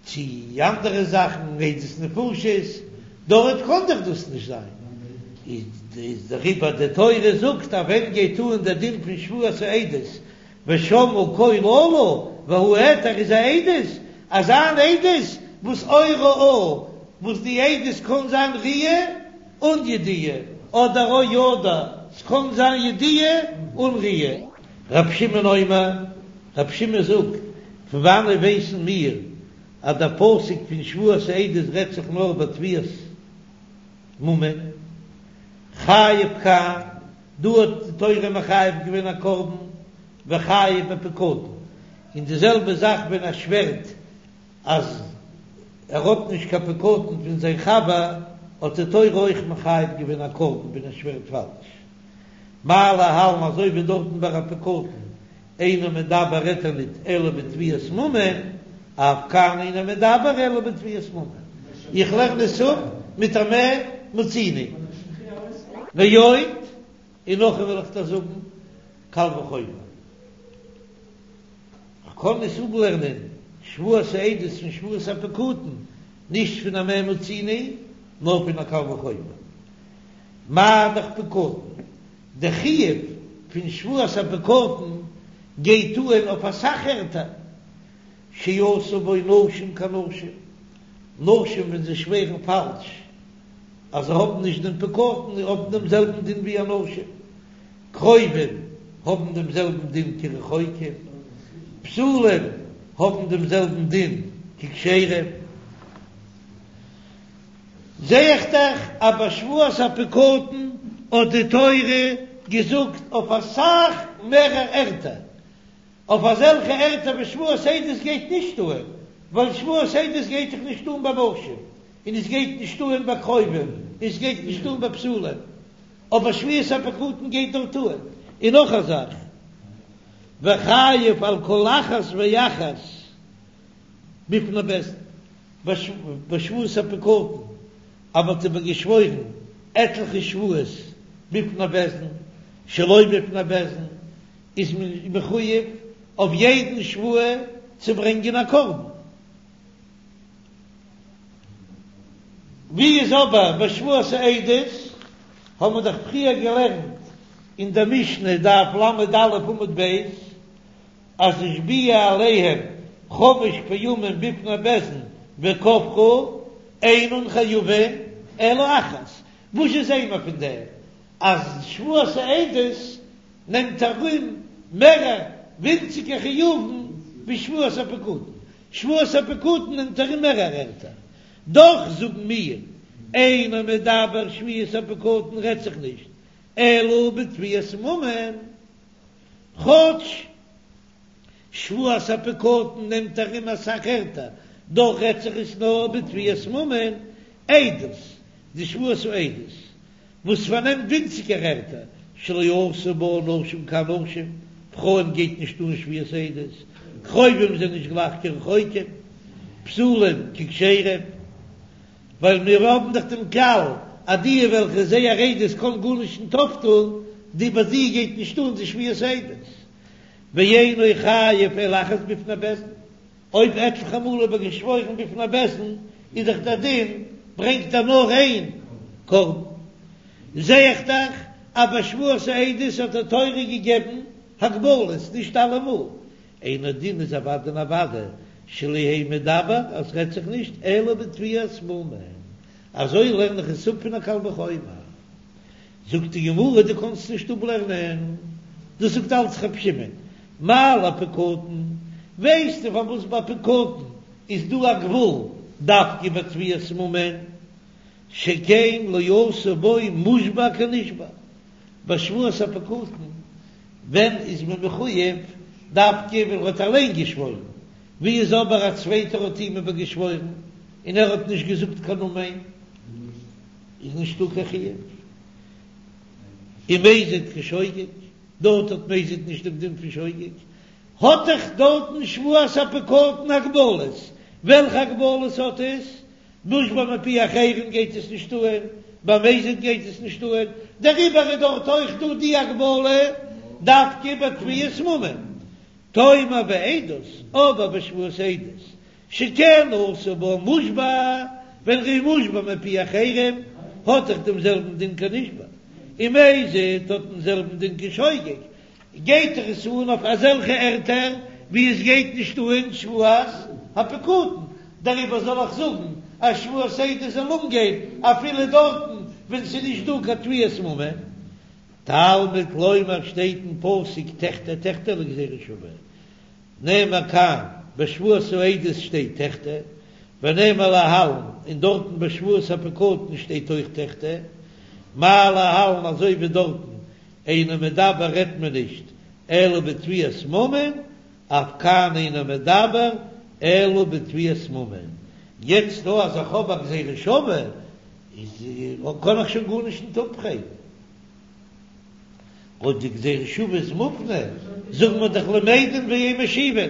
צי אנדערע זאכן, עדות נפשות, דארט קען דאך דאס נישט זיין, איז דעריבער די תורה זאגט אז ווען גייט אן דער דין פון שבועת העדות, ושמעו קול אלה והעד ער איז א עדות, אזא אן עדות וואס או ראה, וואס די עדות קען זיין ראי' און ידיעה, אדער או ידע, ס'קען זיין ידיעה און ראי'. רב שמעון אומר, רב שמעון זאגט, פון וואנעט ווייסן מיר אז דער פסוק פון שבועת העדות רעדט זיך נאר ביי תביעת ממון? חייב כאן, דא האט די תורה מחייב געווען א קרבן וחייב בפקדון, און די זעלבע זאך ווען ער שווערט אז ער האט נישט קיין פקדון פון זיין חבר, האט די תורה אויך מחייב געווען א קרבן ווען ער שווערט פאלש. מה להלן אזוי ווי דארטן ביי א פקדון אינו מדבר רעדט ער ניט אלא בתביעת ממון, אף כאן אינו מדבר אלא בתביעת ממון. איך לערן עס אפ מיט א מה מצינו. ועוד, און נאכער וועל איך דיר זאגן קל וחומר. כ'קען עס אפלערנען שבועת העדות פון שבועת הפקדון, נישט פון א מה מצינו, נאר פון א קל וחומר. מה דאך פקדון? די חיוב פון שבועת הפקדון גייט אן אויף אסאך ערטער, שעשו בו נשים כנשים, נשים ווען זיי שווערן פאלש אז זיי האבן נישט דעם פקדון האבן דעם זעלבן דין ווי אנשים, קרובים האבן דעם זעלבן דין כרחוקים, פסולים האבן דעם זעלבן דין ככשרים. זע איך דאך אז ביי שבועת הפקדון האט די תורה געזאגט אויף אסאך מערער ערטער, אויף אזעלכע ערטער וואו שבועת עדות גייט נישט אהן, ווייל שבועת עדות גייט דאך נישט אהן ביי נשים, און עס גייט נישט אהן ביי קרובים, און עס גייט נישט אהן ביי פסולים, אבער שבועת הפקדון גייט דארט אהן. און נאך א זאך, וחייב על כל אחת ואחת בפני בית דין. ביי שבועת הפקדון אז מ'האט איבערגעשוואוירן עטליכע שבועות בפני בית דין, שלא בפני בית דין, איז מען מחויב אויף יעדן שבועה צו ברענגען א קרבן. ווי איז אבער ביי שבועת העדות? האבן מיר דאך פריער געלערנט אין דער משנה דף ל"א עמוד ב', אז השביע עליהם חמש פעמים בפני בית דין וכפרו אינן חייבין אלא אחת. וואס זשע זעען מיר פון דעם? אז שבועת העדות נעמט ארום מערער ווינציגער חיובים ווי שבועת הפקדון. שבועת הפקדון נעמט ארום מערער ערטער. דאך זאגן מיר, אינו מדבר שבועת הפקדון רעדט זיך נישט אלא בתביעת ממון, כאטש שבועת הפקדון נעמט ארום אסאך ערטער, דאך רעדט זיך עס נאר בתביעת ממון, עדות, די שבועת העדות וואס פארנעמט ווינציגער ערטער, שלא עשו בה נשים כאנשים, פרויען גייט נישט אן שבועת עדות, קרובים זענען נישט גלייך כרחוקים, פסולים ככשרים, ווייל מיר האבן דאך דעם כלל אז די וועלכע זייער עדות קען גארנישט נישט אויפטון, די ביי זיי גייט נישט אן די שבועת עדות, ואינו חייב אלא אחת בפני בית דין. אויב עטליכע מאל איבערגעשוואוירן בפני בית דין איז דאך דער דין ברענגט ער נאר איין קרבן. זע איך דאך אז ביי שבועת העדות האט די תורה געגעבן הגבלות, נישט אלעמאל. אינו דין איז אוודאי און אוודאי שלא יהא מדבר אז ס'רעדט זיך נישט אלא בתביעת ממון. אזוי לערן איך עס אפ פון א קל וחומר. זאגט די גמרא דו קאנסט נישט אפלערנען, דאס זאגט אלץ רב שמעון, מה לפקדון, ווייסטו פארוואס ביי פקדון איז דא א גבול דווקא ביי תביעת ממון, שכן לא עשו בו מושבע כנשבע, ביי שבועת הפקדון ווען איז מען מחויב דווקא ווען ער האט אליין געשוואוירן, ווי איז אבער א צווייטער האט אים איבערגעשוואוירן און ער האט נישט געזאגט קיין אמן. איז נישטא קיין חיוב ומזיד כשוגג, דארט האט מזיד נישט דעם דין פון שוגג, האט דאך דארטן שבועת הפקדון הגבלות, וועלכע הגבלות האט עס? מושבע מפי אחרים גייט עס נישט אהן, ביי מזיד גייט עס נישט אהן, דעריבער איז דארט אויך דא די הגבלה דווקא ביי תביעת ממון, תאמר בעדות, אבער בשבועת עדות שכן עשו בה מושבע, ווען ר'איז מושבע מפי אחרים האט דאך דעם זעלבן דין כנשבע, און מזיד האט דעם זעלבן דין כשוגג, גייט דאך עס אן אויף אזעלכע ערטער ווי עס גייט נישט אן שבועת הפקדון, דעריבער זאל איך זאגן אז שבועת עדות זאל אנגיין אפילו דארטן ווען ס'איז נישט דא קיין תביעת ממון. תלמוד לומר שטייט אין פסוק תחטא תחטא לגזירה שווה. נאמר כאן, בשבועת העדות שטייט תחטא, ונאמר להלן, און דארטן בשבועת הפקדון שטייט אויך תחטא, מה להלן אזוי ווי דארטן, אינו מדבר רעדט מען נישט אלא בתביעת ממון, אף כאן אינו מדבר אלא בתביעת ממון. יעצט דא אז איך האב א גזירה שווה, איז קען איך שוין גארנישט נישט אפפרעגן. אויב די גזירה שווה איז מופנה, זאגן מיר דאך למדין ואין משיבין.